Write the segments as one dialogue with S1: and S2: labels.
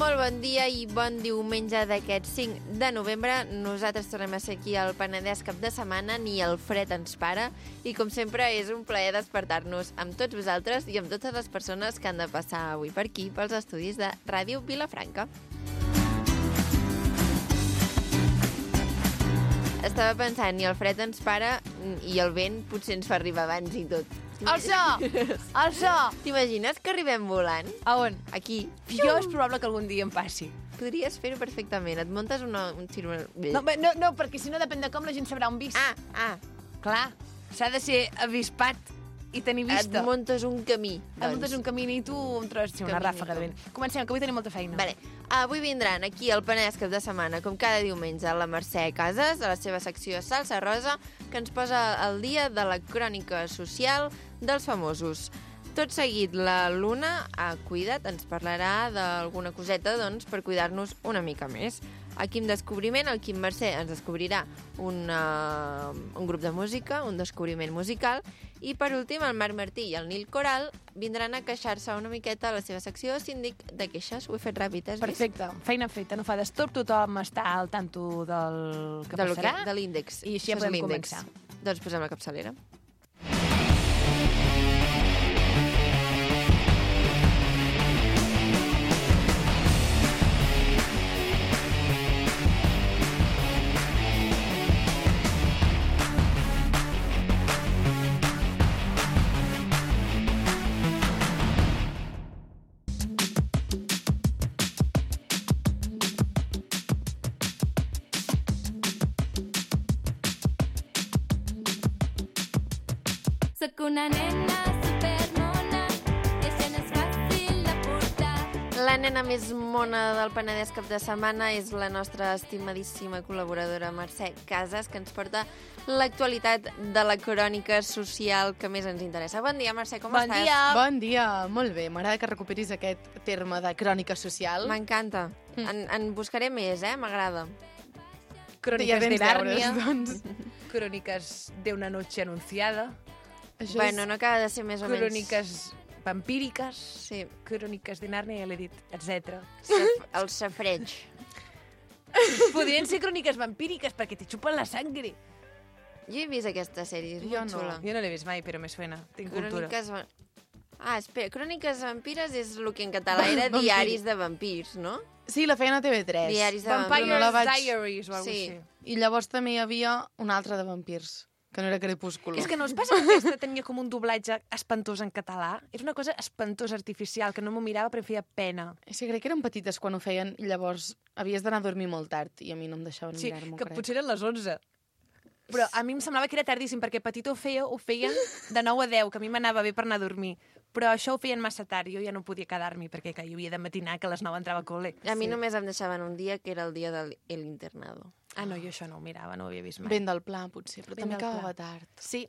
S1: Molt bon dia i bon diumenge d'aquest 5 de novembre. Nosaltres tornem a ser aquí al Penedès cap de setmana, ni el fred ens para. I com sempre és un plaer despertar-nos amb tots vosaltres i amb totes les persones que han de passar avui per aquí, pels estudis de Ràdio Vilafranca. Estava pensant, ni el fred ens para i el vent potser ens fa arribar abans i tot.
S2: El so! El so!
S1: T'imagines que arribem volant?
S2: A on?
S1: Aquí.
S2: Jo és probable que algun dia em passi.
S1: Podries fer-ho perfectament. Et muntes un cirurgià.
S2: No, perquè si no depèn de com la gent sabrà on visc. Clar, s'ha de ser avispat i tenir vista.
S1: Et muntes un camí.
S2: Et muntes un camí i tu em trobes una ràfaga de vent. Comencem, que avui tenim molta feina.
S1: Vale. Avui vindran aquí al Penedès cap de setmana, com cada diumenge, la Mercè Casas, a la seva secció Salsa Rosa, que ens posa al dia de la crònica social dels famosos. Tot seguit, la Luna, cuida't, ens parlarà d'alguna coseta, doncs, per cuidar-nos una mica més. Aquí en Descobriment, el Quim Mercè ens descobrirà un grup de música, un descobriment musical, i per últim el Marc Martí i el Nil Coral vindran a queixar-se una miqueta a la seva secció Síndic de Queixes. Ho he fet ràpid, has vist?
S2: Perfecte, feina feta, no fa d'estop, tothom està al tanto del que passarà.
S1: De l'índex.
S2: I així ja podem començar.
S1: Doncs posem la capçalera.
S3: Soc una nena supermona, això no és fàcil de portar.
S1: La nena més mona del Penedès cap de setmana és la nostra estimadíssima col·laboradora Mercè Casas, que ens porta l'actualitat de la crònica social que més ens interessa. Bon dia, Mercè, com estàs?
S2: Bon dia!
S4: Bon dia, molt bé. M'agrada que recuperis aquest terme de crònica social.
S1: M'encanta. En buscaré més, m'agrada.
S2: Cròniques de Nàrnia,
S4: doncs.
S2: cròniques d'una noche anunciada,
S4: Això
S1: Bueno, no acaba de ser més o menys...
S2: cròniques vampíriques,
S1: Sí,
S2: cròniques de Nàrnia, ja l'he dit, etc.
S1: el safreig.
S2: Podrien ser cròniques vampíriques perquè te xupen la sangre.
S1: Jo he vist aquesta sèrie, és
S4: Jo
S1: molt
S4: no.
S1: xula.
S2: Jo no l'he vist mai, però me suena. Tinc cultura.
S1: Espera, Cròniques vampires és el que en català era
S4: Vampir.
S1: diaris de vampirs, no?
S4: Sí, la feien a TV3.
S1: Diaris de
S2: Vampires
S4: no la vaig-
S2: Diaries o alguna
S1: Sí.
S2: cosa així.
S4: I llavors també hi havia un altre de vampirs, que no era Crepúsculo.
S2: És que no us passa que aquesta tenia com un doblatge espantós en català? És una cosa espantosa, artificial, que no m'ho mirava però em feia pena.
S4: És que crec que eren petites quan ho feien i llavors havies d'anar a dormir molt tard i a mi no em deixaven
S2: Sí,
S4: mirar-m'ho,
S2: que
S4: crec.
S2: potser eren les 11. Però a mi em semblava que era tardíssim, perquè petit ho feien de 9 a 10, que a mi m'anava bé per anar a dormir. Però això ho feien massa tard, jo ja no podia quedar-m'hi, perquè jo havia de matinar, que a les 9 entrava a col·le.
S1: A mi només em deixaven un dia, que era el dia de l'internado.
S2: Ah, no, jo això no ho mirava, no ho havia vist mai.
S4: Ben del pla, potser, però
S2: Ben
S4: també
S2: del pla.
S4: acabava tard.
S2: Sí,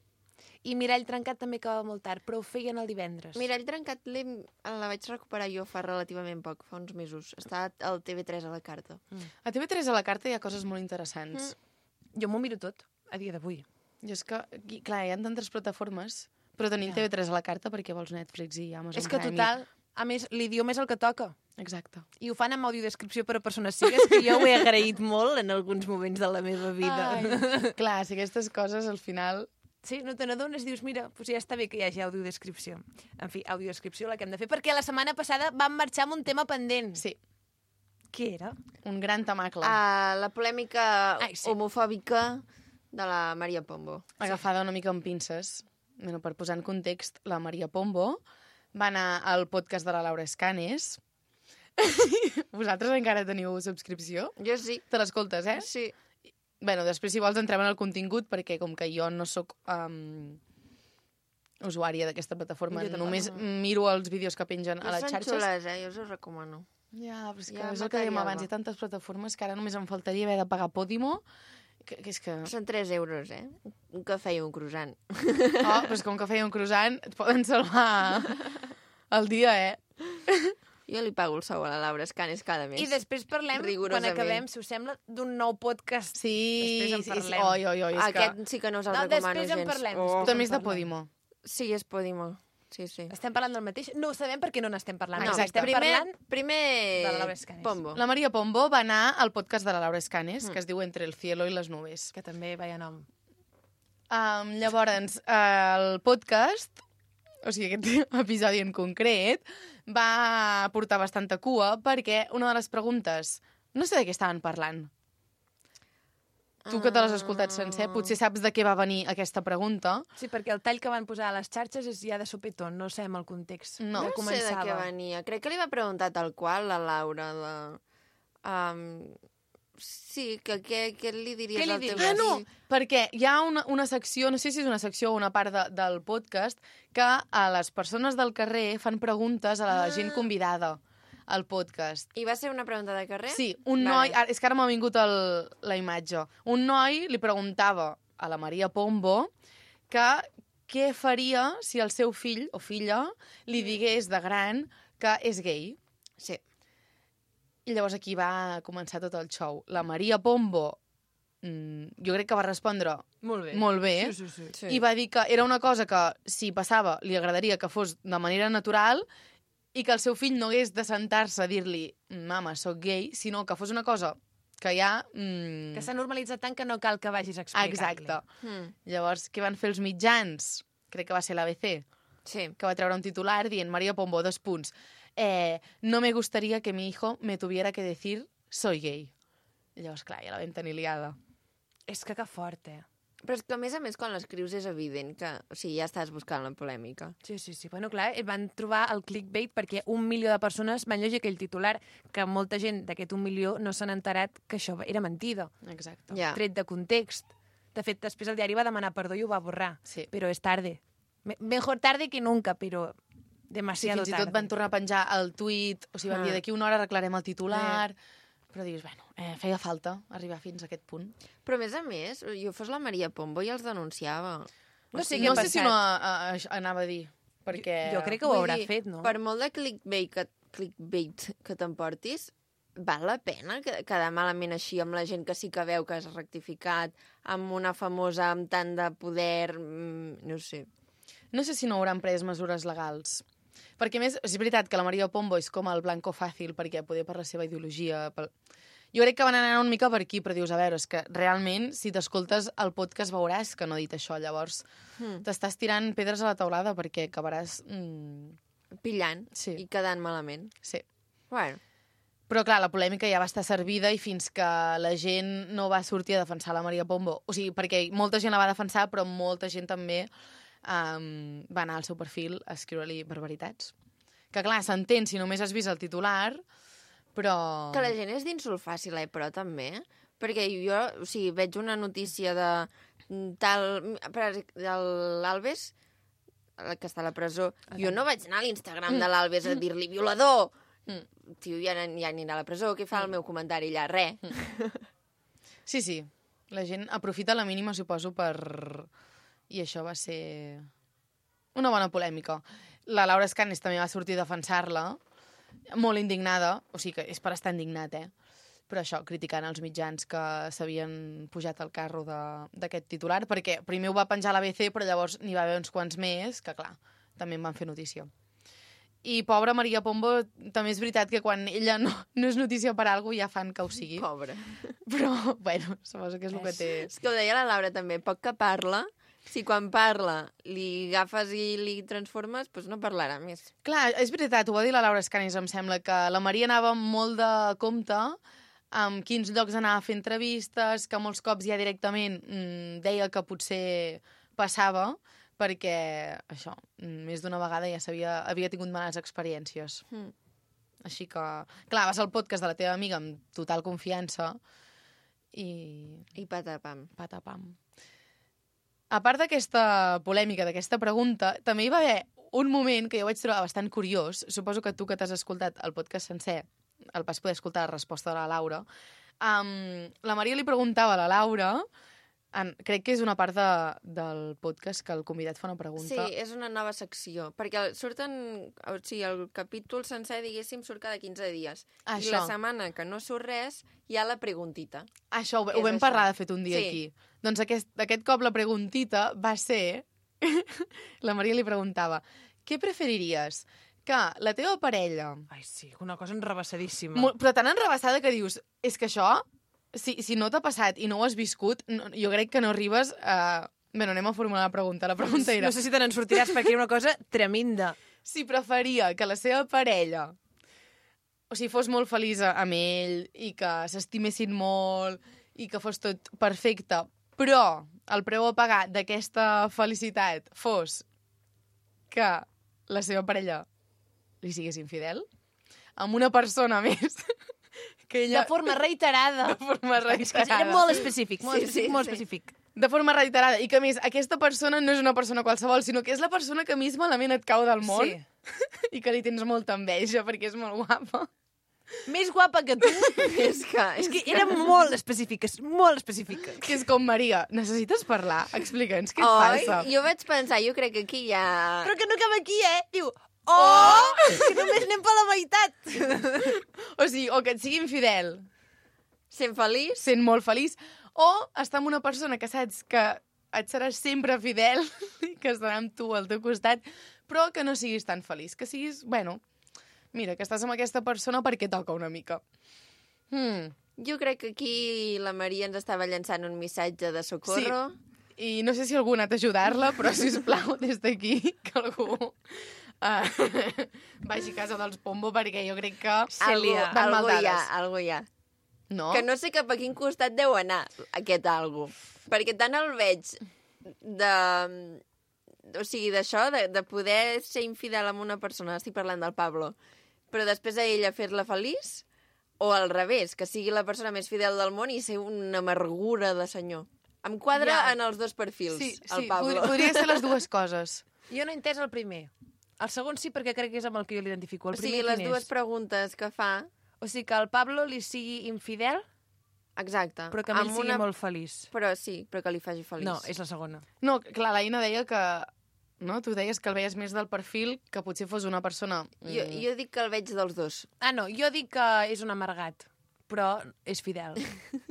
S2: i Mirall Trencat també acabava molt tard, però ho feien el divendres.
S1: Mirall Trencat la vaig recuperar jo fa relativament poc, fa uns mesos. Està al TV3 a la carta.
S4: A TV3 a la carta hi ha coses molt interessants.
S2: Jo m'ho miro tot, a dia d'avui.
S4: Jo és que, aquí, clar, hi ha tantes plataformes, però tenim TV3 a la carta perquè vols Netflix i Amazon
S2: És que
S4: Prime
S2: total, a més, l'idioma és el que toca.
S4: Exacte.
S2: I ho fan amb audiodescripció per a persones cigues, que jo ho he agraït molt en alguns moments de la meva vida.
S4: Clar, si aquestes coses al final...
S2: Sí, no te n'adones, dius, mira, doncs ja està bé que hi hagi audiodescripció. En fi, audiodescripció la que hem de fer, perquè la setmana passada vam marxar amb un tema pendent.
S4: Sí,
S2: Què era?
S4: un gran temacle.
S1: La polèmica
S2: Ai, sí.
S1: homofòbica de la Maria Pombo.
S4: Agafada una mica amb pinces. Bueno, per posar en context, la Maria Pombo va anar al podcast de la Laura Escanes. Vosaltres encara teniu subscripció?
S1: Jo sí.
S4: Te l'escoltes, eh?
S1: Sí.
S4: Bueno, després, si vols, entrem en el contingut, perquè com que jo no sóc usuària d'aquesta plataforma,
S1: Jo tampoc.
S4: només miro els vídeos que pengen a les
S1: Són
S4: xarxes.
S1: xules, jo us ho recomano.
S4: Ja, però és que
S1: Ja,
S4: és el que dèiem
S1: material,
S4: abans,
S1: va.
S4: hi ha tantes plataformes que ara només em faltaria haver de pagar Podimo, que és que...
S1: Són 3 euros, un cafè i un croissant.
S4: Oh, però és que un cafè i un croissant et poden salvar el dia,
S1: Jo li pago el sou a la Laura Escanes cada mes.
S2: I després parlem, quan
S1: Rigorosament.
S2: acabem, si us sembla, d'un nou podcast.
S4: Sí,
S2: Després en
S4: sí,
S2: parlem.
S4: Oi, és
S1: Aquest sí que no us el
S2: No,
S1: recomano
S2: després en
S1: gens.
S2: parlem,
S1: Oh.
S2: després.
S4: Tu també és de Podimo.
S1: Sí, és Podimo. Sí, sí.
S2: Estem parlant del mateix? No ho sabem perquè no n'estem parlant.
S1: No,
S4: Exacte.
S2: Estem parlant...
S1: primer
S2: de la Laura Escanes.
S1: Pombo.
S4: La Maria Pombo va anar al podcast de la Laura Escanes, que es diu Entre el cielo y las nubes.
S2: Que també veia nom.
S4: Llavors, el podcast, o sigui, aquest episodi en concret, va portar bastanta cua perquè una de les preguntes... No sé de què estaven parlant. Tu que te l'has escoltat sencer, potser saps de què va venir aquesta pregunta.
S2: Sí, perquè el tall que van posar a les xarxes és ja de sopetón, no sabem el context.
S4: No.
S1: No sé de què venia. Crec que li va preguntar tal qual la Laura. Sí, que què li diries
S2: Què li
S1: al teu
S2: diries?
S4: No, perquè hi ha una secció, no sé si és una secció o una part del podcast, que a les persones del carrer fan preguntes a la gent convidada al podcast.
S1: I va ser una pregunta de carrer?
S4: Sí, un noi... És que ara m'ha vingut la imatge. Un noi li preguntava a la Maria Pombo que què faria si el seu fill o filla li digués de gran que és gay.
S1: Sí.
S4: I llavors aquí va començar tot el show. La Maria Pombo, jo crec que va respondre
S2: Molt bé.
S4: molt bé,
S2: Sí.
S4: i va dir que era una cosa que, si passava, li agradaria que fos de manera natural i que el seu fill no hagués de sentar-se a dir-li mama, sóc gay, sinó que fos una cosa que ja...
S2: Que s'ha normalitzat tant que no cal que vagis a explicar-li.
S4: Exacte. Llavors, què van fer els mitjans? Crec que va ser l'ABC,
S1: Sí.
S4: que va treure un titular dient Maria Pombo, 2 punts. No me gustaría que mi hijo me tuviera que decir soy gay. I llavors, clar, ja la vam tenir liada.
S2: És que fort,
S1: Però és que, a més, quan l'escrius és evident que... O sigui, ja estàs buscant la polèmica.
S2: Sí. Bueno, clar, van trobar el clickbait perquè 1 milió de persones van llegir aquell titular, que molta gent d'aquest 1 milió no s'han enterat que això era mentida.
S4: Exacte.
S1: Ja.
S2: Tret de context. De fet, després el diari va demanar perdó i ho va borrar.
S4: Sí.
S2: Però és tarde. Mejor tarde que nunca, però
S4: Sí,
S2: demasiado
S4: fins i
S2: tarde.
S4: tot van tornar a penjar el tuit, o sigui, van dir d'aquí una hora arreglarem el titular, però dius, bueno, feia falta arribar fins a aquest punt.
S1: Però, a més, jo fos la Maria Pombo i els denunciava.
S2: No sé
S4: No
S2: què ha
S4: sé si
S2: passat.
S4: no anava a dir, perquè...
S2: Jo crec que ho
S1: Vull
S2: haurà
S1: dir,
S2: fet, no?
S1: Per molt de clickbait que t'emportis, val la pena quedar malament així amb la gent que sí que veu que has rectificat, amb una famosa amb tant de poder, no sé.
S4: No sé si no hauran pres mesures legals. Perquè, a més, és veritat que la Maria Pombo és com el blanco fàcil, perquè poder per la seva ideologia... Jo crec que van anar una mica per aquí, però dius, a veure, és que realment, si t'escoltes el podcast veuràs que no ha dit això, llavors t'estàs tirant pedres a la taulada perquè acabaràs...
S1: Pillant
S4: Sí.
S1: i quedant malament.
S4: Sí.
S1: Bueno,
S4: Però, clar, la polèmica ja va estar servida i fins que la gent no va sortir a defensar la Maria Pombo, o sigui, perquè molta gent la va defensar, però molta gent també va anar al seu perfil a escriure-li barbaritats. Que, clar, s'entén si només has vist el titular, però...
S1: que la gent és d'insult fàcil, però també. Perquè jo, o sigui, veig una notícia de l'Alves, que està a la presó. Jo no vaig anar a l'Instagram de l'Alves a dir-li violador. Tio, ja anirà a la presó, què fa el meu comentari allà? Res.
S4: Sí, sí. La gent aprofita la mínima, suposo, per... I això va ser una bona polèmica. La Laura Escanes també va sortir a defensar-la, molt indignada, o sigui que és per estar indignat, però això, criticant els mitjans que s'havien pujat al carro d'aquest titular, perquè primer ho va penjar a l'ABC, però llavors n'hi va haver uns quants més, que clar, també en van fer notícia. I pobra Maria Pombo, també és veritat que quan ella no és notícia per alguna cosa ja fan que ho sigui.
S1: Pobra.
S4: Però, bueno, suposo que és el que té...
S1: És que ho deia la Laura també, poc que parla, si quan parla li agafes i li transformes, doncs no parlarà més.
S4: Clar, és veritat, ho va dir la Laura Escanes, em sembla, que la Maria anava molt de compte amb quins llocs anava a fer entrevistes, que molts cops ja directament deia que potser passava, perquè, això, més d'una vegada ja havia tingut males experiències. Així que, clar, vas al podcast de la teva amiga amb total confiança i...
S1: I patapam.
S4: Patapam. A part d'aquesta polèmica, d'aquesta pregunta, també hi va haver un moment que jo vaig trobar bastant curiós. Suposo que tu que t'has escoltat el podcast sencer el vas poder escoltar la resposta de la Laura. La Maria li preguntava a la Laura, crec que és una part del podcast que el convidat fa una pregunta.
S1: Sí, és una nova secció, perquè surten... O sigui, el capítol sencer, diguéssim, surt cada 15 dies. I la setmana que no surt res, hi ha la preguntita.
S4: Això, ho vam parlar de fet un dia aquí. Doncs aquest cop la preguntita va ser... La Maria li preguntava, què preferiries? Que la teva parella...
S2: Ai, sí, una cosa enrevessadíssima.
S4: Però tan enrebaçada que dius, és que això, si no t'ha passat i no ho has viscut, no, jo crec que no arribes a... Bé, anem a formular la pregunta. La pregunta era...
S2: No sé si te n'en sortiràs perquè era una cosa tremenda.
S4: Si preferia que la seva parella fos molt feliç amb ell i que s'estimessin molt i que fos tot perfecte, però el preu a pagar d'aquesta felicitat fos que la seva parella li sigués infidel amb una persona més que ella...
S2: De forma reiterada.
S4: De forma reiterada.
S2: Era molt específic, molt específic.
S4: De forma reiterada. I que, a més, aquesta persona no és una persona qualsevol, sinó que és la persona que més malament et cau del món i que li tens molta enveja perquè és molt guapa.
S2: Més guapa que tu.
S1: És
S2: que era molt específica, molt específica.
S4: Que és com, Maria, necessites parlar? Explica'ns què et passa.
S1: Jo vaig pensar, jo crec que aquí hi ha...
S2: Però que no acaba aquí, Diu, que només anem per la meitat.
S4: O sigui, o que et sigui infidel.
S1: Sent feliç?
S4: Sent molt feliç. O estar amb una persona que saps que et seràs sempre fidel i que estarà amb tu al teu costat, però que no siguis tan feliç. Que siguis, bueno, mira, que estàs amb aquesta persona perquè toca una mica.
S1: Jo crec que aquí la Maria ens estava llançant un missatge de socorro.
S4: Sí. I no sé si algú ha anat a ajudar-la, però, sisplau, des d'aquí, que algú vagi a casa dels Pombo, perquè jo crec que...
S1: Algú hi ha.
S4: No?
S1: Que no sé cap a quin costat deu anar aquest algú. Perquè tant el veig de... O sigui, d'això, de poder ser infidel amb una persona, estic parlant del Pablo, però després a ella fer-la feliç, o al revés, que sigui la persona més fidel del món i ser una amargura de senyor. Em quadra en els dos perfils, el Pablo.
S4: Podria ser les dues coses.
S2: Jo no he entès el primer. El segon sí, perquè crec que és amb el que jo l'identifico.
S1: O sigui, les dues preguntes que fa...
S2: O sigui, que el Pablo li sigui infidel,
S1: exacte.
S2: Però que a ell sigui molt feliç.
S1: Però sí, però que li faci feliç.
S2: No, és la segona.
S4: No, clar, l'Aina deia que... No? Tu deies que el veies més del perfil que potser fos una persona...
S1: Jo dic que el veig dels dos.
S2: Ah, no, jo dic que és un amargat, però és fidel.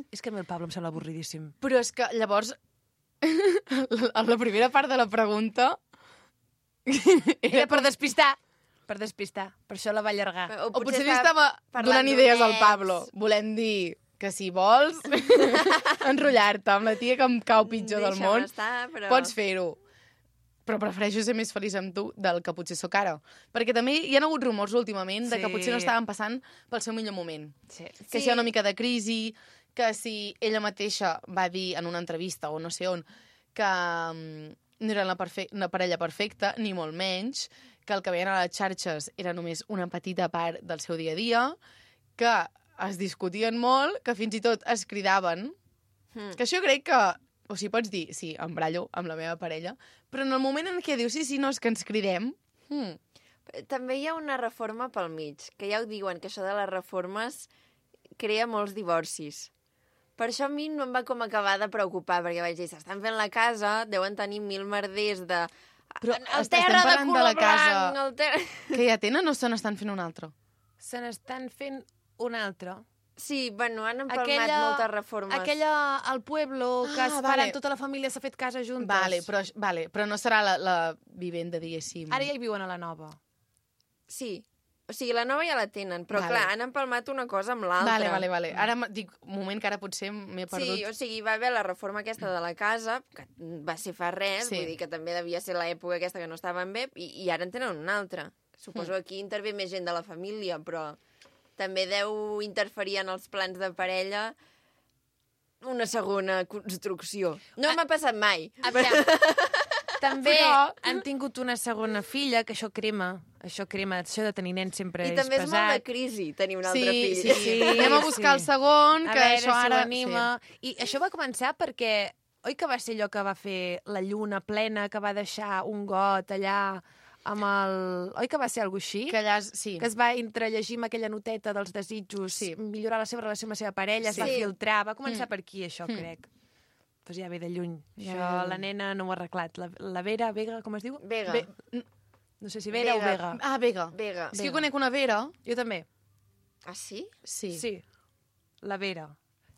S2: És que a mi el Pablo em sembla avorridíssim.
S4: Però és que, llavors, la primera part de la pregunta...
S2: Era per despistar. Per despistar. Per això la va allargar.
S4: O potser li estava donant idees al Pablo. Volem dir que si vols enrotllar-te amb la tia que em cau pitjor del món, pots fer-ho. Però prefereixo ser més feliç amb tu del que potser sóc ara. Perquè també hi ha hagut rumors últimament de que potser no estaven passant pel seu millor moment. Que si hi ha una mica de crisi, que si ella mateixa va dir en una entrevista o no sé on que no era una parella perfecta, ni molt menys, que el que veien a les xarxes era només una petita part del seu dia a dia, que es discutien molt, que fins i tot es cridaven. Que això crec que... O sigui, pots dir, sí, em brallo amb la meva parella, però en el moment en què dius, sí, no, és que ens cridem...
S1: També hi ha una reforma pel mig, que ja ho diuen, que això de les reformes crea molts divorcis. Per això a mi no em va com acabar de preocupar, perquè vaig dir, s'estan fent la casa, deuen tenir 1000 merders de...
S4: Però
S1: el terra de color blanc...
S4: Que ja tenen o se n'estan fent un altre?
S2: Se n'estan fent un altre.
S1: Sí, bueno, han empalmat moltes reformes.
S2: Aquella al pueblo, que vale. Tota la família s'ha fet casa juntes.
S4: Però no serà la vivenda, diguéssim.
S2: Ara ja hi viuen a la nova.
S1: Sí. O sigui, la nova ja la tenen, però clar, han empalmat una cosa amb l'altra.
S4: Vale. Ara dic, un moment que ara potser m'he perdut.
S1: Sí, o sigui, va haver la reforma aquesta de la casa, que va ser fa res, vull dir que també devia ser l'època aquesta que no estaven bé, i ara en tenen una altra. Suposo que aquí intervé més gent de la família, però també deu interferir en els plans de parella una segona construcció. No m'ha passat mai.
S2: També han tingut una segona filla, que això crema, això de tenir nens sempre és pesat.
S1: I també és molt de crisi tenir un altre fill.
S4: Sí. Anem a buscar el segon, que això ara...
S2: I això va començar perquè, oi que va ser allò que va fer la lluna plena, que va deixar un got allà amb el... Oi que va ser alguna cosa així?
S4: Que allà, sí.
S2: Que es va entrellegir amb aquella noteta dels desitjos, millorar la seva relació amb la seva parella, es va filtrar, va començar per aquí, això, crec. Pues ja ve de lluny. Això la nena no ho ha arreglat. La Vera, Vega, com es diu?
S1: Vega.
S2: No sé si Vera o Vega.
S4: Ah, Vega. És que jo conec una Vera.
S2: Jo també.
S1: Ah, sí?
S2: Sí. La Vera.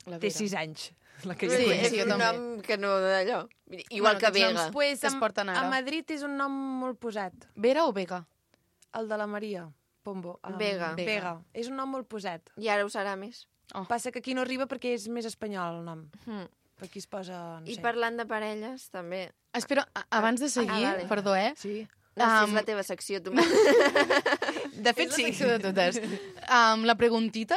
S4: La
S2: Té
S4: Vera.
S2: 6 anys. La que
S4: Sí,
S2: jo
S1: és
S4: jo
S1: un
S4: també.
S1: nom que no d'allò. Igual
S4: Bueno,
S1: que
S4: aquests
S1: Vega.
S4: noms
S2: Pues,
S4: que es porten ara.
S2: a Madrid és un nom molt posat.
S4: Vera o Vega?
S2: El de la Maria Pombo.
S1: Vega.
S2: Vega. És un nom molt posat.
S1: I ara ho serà més.
S2: Passa que aquí no arriba perquè és més espanyol el nom.
S1: Mm.
S2: Per aquí es posa... No
S1: I
S2: sé.
S1: parlant de parelles, també.
S4: Espera, abans de seguir,
S1: vale.
S4: perdó,
S2: Sí.
S1: No, si és
S4: Um,
S1: la teva secció, tu.
S2: De fet,
S4: És la
S2: sí.
S4: secció de totes. La preguntita...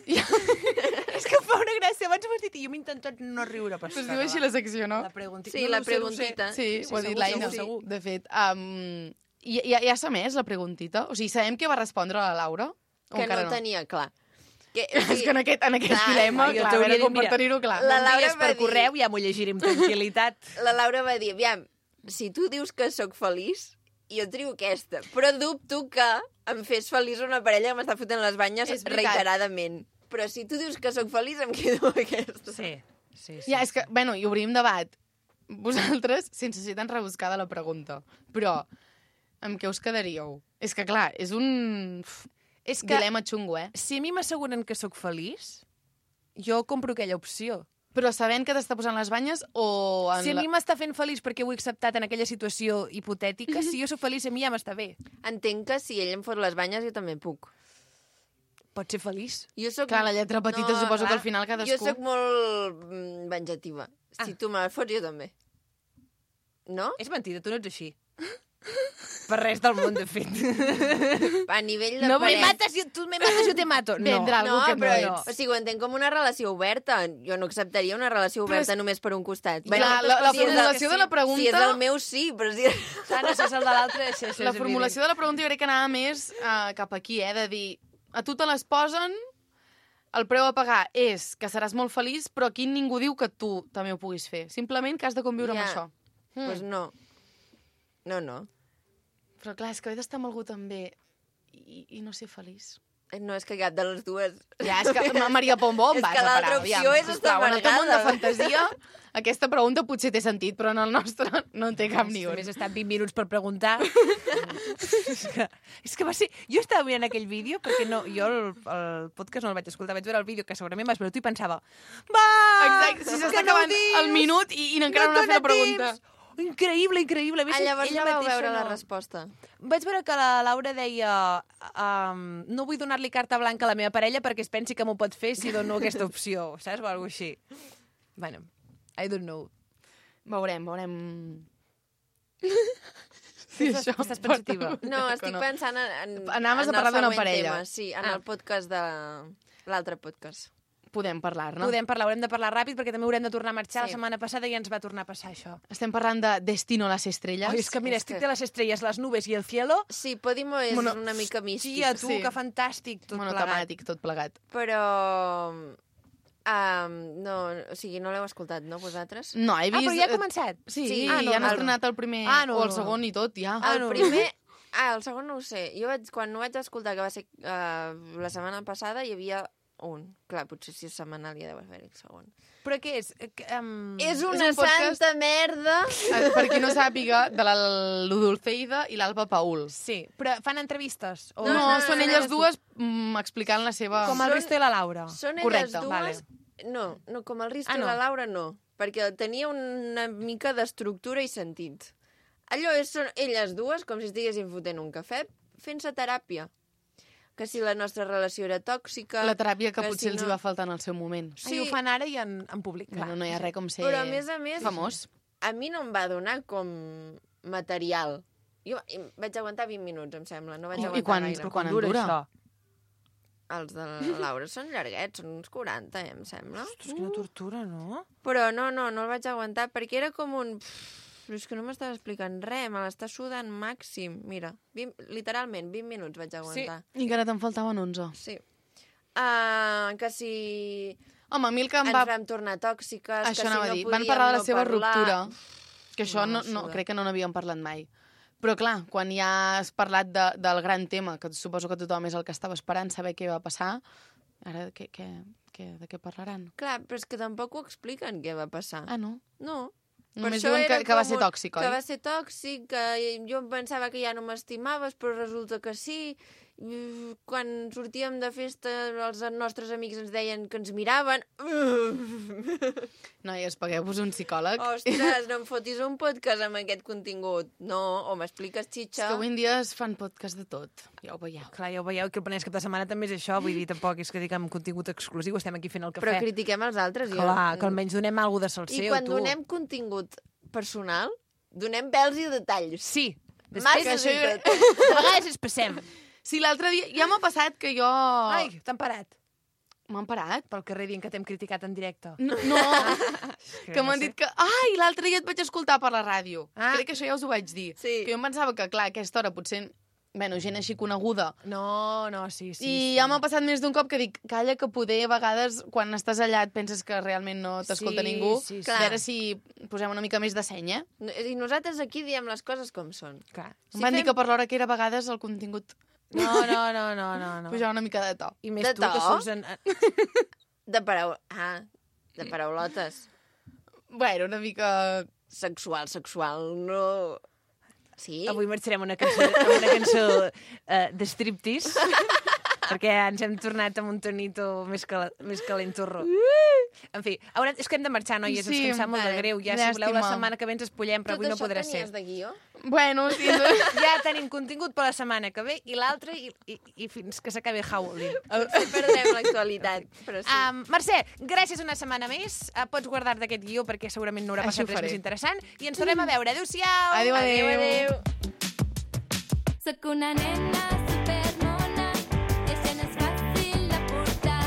S2: És que em fa una gràcia. Abans m'has dit i jo m'he intentat no riure. Però
S4: Es diu així la secció, no?
S2: La preguntita.
S1: Sí, la preguntita.
S4: Sí, ho ha dit
S2: segur,
S4: l'Aina.
S2: segur.
S4: De fet, ja s'ha més la preguntita? O sigui, sabem què va respondre la Laura? O
S1: Que
S4: encara
S1: no tenia clar. Que,
S4: És que en aquest
S1: Clar,
S4: dilema,
S2: jo
S4: clar, a
S2: t'hauria
S4: veure
S2: dit,
S4: com per
S2: mira,
S4: tenir-ho clar.
S1: La Laura
S2: M'envies
S1: va
S2: per
S1: dir-
S2: correu, ja m'ho llegiré amb tranquil·litat.
S1: la Laura va dir, aviam, si tu dius que sóc feliç, jo trio aquesta. Però dubto que em fes feliç una parella que m'està fotent les banyes
S4: És veritat.
S1: reiteradament. Però si tu dius que sóc feliç, em quedo amb aquesta.
S2: Sí.
S4: Ja, és que, bueno, i obrim debat. Vosaltres, sense ser tan rebuscada la pregunta, però amb què us quedaríeu? És que, clar, és un
S2: És que
S4: dilema xungo, eh?
S2: si a mi m'asseguren que sóc feliç, jo compro aquella opció.
S4: Però sabent que t'està posant les banyes o...
S2: Si a mi m'està fent feliç perquè ho he acceptat en aquella situació hipotètica, si jo sóc feliç, a mi ja m'està bé.
S1: Entenc que si ell em fot les banyes, jo també puc.
S2: Pots ser feliç.
S1: Jo soc...
S4: Clar, la lletra petita suposo que al final cadascú...
S1: Jo sóc molt venjativa. Si tu me la fots, jo també. No?
S2: És mentida, tu no ets així. Per res del món, de fet.
S1: A nivell de
S4: No
S2: Me
S4: volem-
S2: mates, tu me mates, jo te mato. No.
S4: Vendre algú que no
S1: però,
S4: ets.
S1: o sigui, ho entenc com una relació oberta. Jo no acceptaria una relació oberta només per un costat.
S4: Clar,
S1: Bueno,
S4: la
S1: si és
S4: formulació de la pregunta...
S1: Si és el meu, sí, però si...
S2: Sana, si és el de l'altre, això és
S4: La formulació de la pregunta jo crec que anava més cap aquí, de dir, a tu te les posen, el preu a pagar és que seràs molt feliç, però aquí ningú diu que tu també ho puguis fer. Simplement que has de conviure amb
S1: Ja.
S4: això.
S1: Pues no. No.
S4: Però clar, és que he d'estar amb algú també i no ser feliç.
S1: No, és que cap de les dues...
S4: Ja, és que Maria Pombo em
S1: És
S4: vas
S1: que
S4: a parar.
S1: l'altra opció és estar
S4: en el teu món de
S1: amargada.
S4: fantasia, aquesta pregunta potser té sentit, però en el nostre no en té cap ni un.
S2: Només he estat 20 minuts per preguntar. és que va ser... Jo estava mirant aquell vídeo, perquè no, jo el podcast no el vaig escoltar, vaig veure el vídeo que segurament vas veure tu i pensava va!
S4: Exacte, si s'està acabant el minut i encara no ha fet la pregunta.
S2: Increïble, increïble. A més,
S1: Llavors
S2: ella
S1: no vau
S2: mateixa
S1: veure la
S2: no.
S1: resposta.
S2: Vaig veure que la Laura deia no vull donar-li carta blanca a la meva parella perquè es pensi que m'ho pot fer si dono aquesta opció, saps? O alguna així. Bueno, I don't know.
S4: Veurem.
S2: Estàs pensativa?
S1: No, estic pensant en
S4: Anaves a
S1: en
S4: parlar
S1: el
S4: d'una
S1: següent
S4: parella.
S1: Tema, sí, en el podcast de... L'altre podcast.
S4: Podem parlar-ne.
S2: Podem parlar, haurem de parlar ràpid perquè també haurem de tornar a marxar.
S1: Sí.
S2: La setmana passada ja ens va tornar a passar això.
S4: Estem parlant de Destino a les estrelles.
S2: Ai, és que mira,
S1: és
S2: estic
S1: que-
S2: de les estrelles, les nubes i el cielo.
S1: Sí, Podimo és
S4: Bueno,
S1: una mica místic.
S2: Tia, tu,
S4: Sí.
S2: que fantàstic, tot plegat.
S4: Monotemàtic, tot plegat.
S1: Però... no, o sigui, no l'heu escoltat, no, vosaltres?
S4: No, he
S2: Ah,
S4: vist...
S2: però ja ha començat?
S4: Sí,
S1: Sí.
S4: ja han
S1: el-
S4: estrenat el primer o el segon i tot, ja.
S2: Ah,
S1: El
S2: no.
S1: primer... el segon no ho sé. Jo quan ho vaig escoltar, que va ser la setmana passada, hi havia un. Clar, potser si és setmanal ja deu haver-hi el segon.
S2: Però què és?
S1: És una
S4: un podcast-
S1: santa merda!
S4: Per qui no sàpiga, de l'Udulceida i l'Alba Paul.
S2: Sí, però fan entrevistes? O...
S4: No, són elles
S1: no.
S4: dues explicant la seva...
S2: Com el Risto i la Laura.
S1: Són
S4: Correcte,
S1: elles dues... No, com el Risto
S2: Ah,
S1: i
S2: no.
S1: la Laura no, perquè tenia una mica d'estructura i sentit. Allò són elles dues, com si estiguessin fotent un cafè, fent-se teràpia. Que si la nostra relació era tòxica...
S4: La teràpia que
S1: que
S4: potser
S1: si
S4: els hi
S1: no-
S4: va faltar en el seu moment.
S2: Sí. Ho fan ara i en públic.
S4: Bueno, no hi ha res com ser
S1: Però a més,
S4: famós.
S1: a mi no em va donar com material. Jo vaig aguantar 20 minuts, em sembla, no vaig
S4: I
S1: aguantar
S4: quan-
S1: gaire.
S4: quan en dura?
S2: Això?
S1: Els de la Laura són llarguets, són uns 40, em sembla.
S2: Ostres, quina tortura, no?
S1: Però no el vaig aguantar, perquè era com un... Però és que no m'estava explicant res, me l'està sudant màxim. Mira, literalment, 20 minuts vaig aguantar.
S4: I encara te'n faltaven 11.
S1: Sí. Que si
S4: Home, a mi el que em
S1: ens
S4: va...
S1: vam tornar tòxiques,
S4: Això
S1: que si
S4: anava
S1: no
S4: a dir.
S1: podíem
S4: Van parlar de la
S1: no
S4: seva
S1: parlar...
S4: ruptura. Que això
S1: No,
S4: no,
S1: suda.
S4: crec que no n'havíem parlat mai. Però clar, quan ja has parlat del gran tema, que suposo que tothom és el que estava esperant saber què va passar, ara de què parlaran?
S1: Clar, però és que tampoc ho expliquen què va passar.
S4: Ah, no?
S1: No.
S4: Només
S1: això
S4: diuen
S1: era
S4: que va
S1: com
S4: ser tòxic, oi?
S1: Que va ser tòxic, que jo em pensava que ja no m'estimaves, però resulta que sí, quan sortíem de festa els nostres amics ens deien que ens miraven.
S4: Noies, pagueu-vos un psicòleg.
S1: Ostres, no em fotis un podcast amb aquest contingut. No, o m'expliques,
S4: És
S1: xitxa.
S4: que avui en dia es fan podcast de tot. Ja ho veieu.
S2: Clar, ja ho veieu, que el Penedès cap de setmana també és això, vull dir, tampoc és que diguem contingut exclusiu, estem aquí fent el cafè.
S1: Però critiquem els altres.
S2: Clar, que almenys donem alguna cosa del
S1: I
S2: seu,
S1: quan
S2: tu.
S1: donem contingut personal, donem pèls i detalls.
S2: Sí,
S1: Massa
S2: després
S1: i tot.
S2: de vegades ens passem.
S4: Sí, l'altre dia ja m'ha passat que jo...
S2: Ai, t'han parat
S4: M'han parat?
S2: pel carrer dient que t'hem criticat en directe.
S4: No, que m'han dit que... Ai, l'altre dia et vaig escoltar per la ràdio.
S2: Ah.
S4: Crec que això ja us ho vaig dir.
S1: Sí.
S4: Que jo em pensava que, clar, a aquesta hora potser... Bueno, gent així coneguda.
S2: No, sí.
S4: I ja m'ha passat més d'un cop que dic, calla, que poder a vegades, quan estàs allà, et penses que realment no t'escolta
S2: Sí,
S4: ningú.
S2: sí, sí.
S4: A veure si posem una mica més de senya.
S1: I nosaltres aquí diem les coses com són.
S2: Clar.
S4: Em van dir que per l'hora que era a vegades el contingut
S2: No.
S4: pujava una mica de to.
S2: I més
S1: De
S2: tu, que
S1: to?
S2: surts en...
S1: De paraulotes.
S4: Bueno, una mica...
S1: Sexual, no... Sí?
S2: Avui marxarem amb una cançó de striptease, perquè ens hem tornat amb un tonito més calenturro. En fi, és que hem de marxar, noies,
S4: Sí,
S2: és que em sap molt de
S1: vale.
S2: greu. Ja, si voleu, la
S4: Llàstima.
S2: setmana que ve ens espollem, però avui no podrà ser.
S1: Tot això tenies de guió?
S4: Bueno, sí.
S2: Ja tenim contingut per la setmana que ve i l'altra i fins que s'acabi Howling.
S1: Potser perdrem l'actualitat, però sí.
S2: Mercè, gràcies una setmana més. Pots guardar d'aquest guió perquè segurament no haurà
S4: Així ho
S2: passat res
S4: faré.
S2: més interessant. I ens tornem a veure. Adéu-siau!
S4: Adéu.
S3: Soc una nena supermona i això no és fàcil de portar.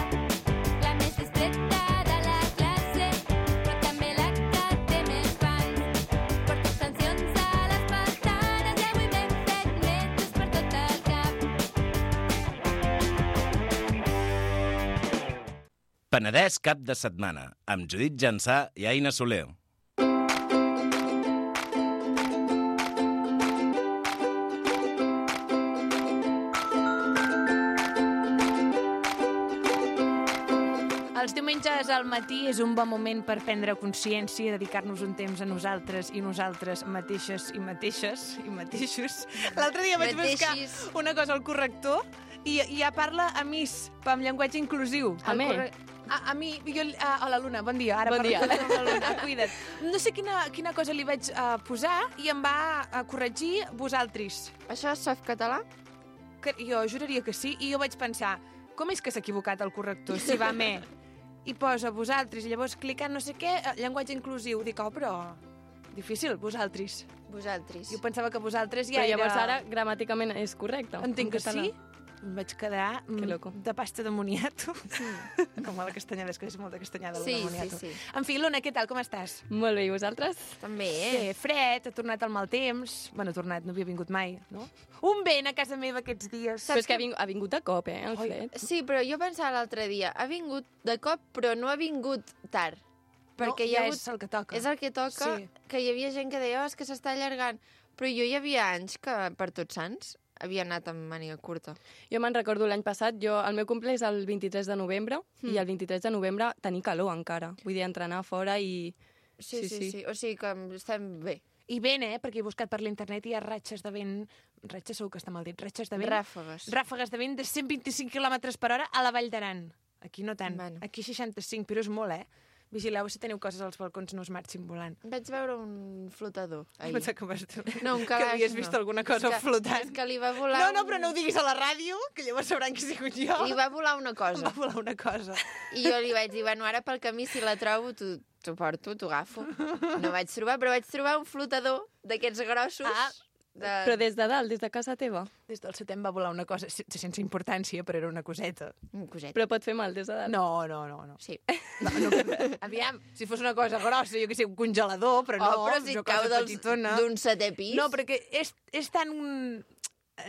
S3: La més discreta de la classe, però també la que té més fans. Porto extensions a les pestanes i avui m'he fet metres per tot el cap.
S5: Penedès cap de setmana, amb Judit Jansà i Aina Soler.
S2: Els diumenges al matí és un bon moment per prendre consciència, dedicar-nos un temps a nosaltres i nosaltres mateixes i mateixos. L'altre dia vaig buscar
S1: Mateixis.
S2: una cosa al corrector i ja parla a Miss, però amb llenguatge inclusiu.
S6: A mi?
S2: A mi, hola Luna, bon dia. Ara
S6: Bon
S2: parlo
S6: dia.
S2: amb la Luna, cuida't. No sé quina cosa li vaig posar i em va corregir vosaltres.
S1: Això és softcatalà?
S2: Que jo juraria que sí, i jo vaig pensar, com és que s'ha equivocat el corrector, si va me, i posa vosaltres, i llavors clicant no sé què, llenguatge inclusiu, dic, però difícil, vosaltres.
S1: Vosaltres.
S2: Jo pensava que vosaltres ja
S6: Però
S2: era...
S6: llavors ara gramàticament és correcte.
S2: Entenc
S6: en
S2: que
S6: català.
S2: sí. Em vaig quedar
S6: Que loco.
S2: de pasta de moniato. Com a la castanyada, és que és molt de castanyada,
S1: Sí,
S2: la de
S1: sí,
S2: moniato.
S1: sí.
S2: En fi, Luna, què tal, com estàs?
S6: Molt bé, i vosaltres?
S1: També,
S2: Bé, fred, ha tornat el mal temps. Bueno, ha tornat, no havia vingut mai, no? Un vent a casa meva aquests dies.
S6: Però és que ha vingut a cop, el
S2: Oi.
S6: fred.
S1: Sí, però jo pensava l'altre dia, ha vingut de cop, però no ha vingut tard. Perquè hi ha
S2: ja
S1: hagut...
S2: és el que toca.
S1: És el que toca,
S2: Sí.
S1: que hi havia gent que deia, és que s'està allargant. Però jo hi havia anys que per Tots Sants havia anat amb màniga curta.
S6: Jo me'n recordo l'any passat, el meu cumple és el 23 de novembre, i el 23 de novembre tenir calor encara. Vull dir, entrenar fora i...
S1: Sí. O sigui que estem bé.
S2: I vent, perquè he buscat per l'internet i hi ha ratxes de vent... Ratxes segur que està mal dit. Ratxes de vent...
S1: Ràfegues.
S2: Ràfegues de vent de 125 km per hora a la Vall d'Aran. Aquí no tant.
S1: Bueno.
S2: Aquí 65, però és molt, Vigileu si teniu coses als balcons, no us marxin volant.
S1: Vaig veure un flotador ahir.
S2: Pensava que vas...
S1: No, un
S2: que
S1: calaix,
S2: havies vist
S1: no.
S2: alguna cosa
S1: És que-
S2: flotant.
S1: És que li va volar...
S2: No, però no ho diguis a la ràdio, que llavors sabran que he sigut jo.
S1: Li va volar una
S2: Em
S1: cosa.
S2: va volar una cosa.
S1: I jo li vaig dir, bueno, ara pel camí, si la trobo, t'ho porto, t'ho agafo. No vaig trobar, però vaig trobar un flotador d'aquests grossos.
S6: Però des de dalt, des de casa teva.
S2: Des del setem va volar una cosa sense importància, però era una coseta.
S1: Un coset.
S6: Però pot fer mal des de dalt.
S2: No.
S1: Sí.
S2: Aviam, si fos una cosa grossa, jo que sé, un congelador, però no,
S1: però si
S2: una
S1: et cau
S2: cosa petitona.
S1: d'un setè pis...
S2: No, perquè és tan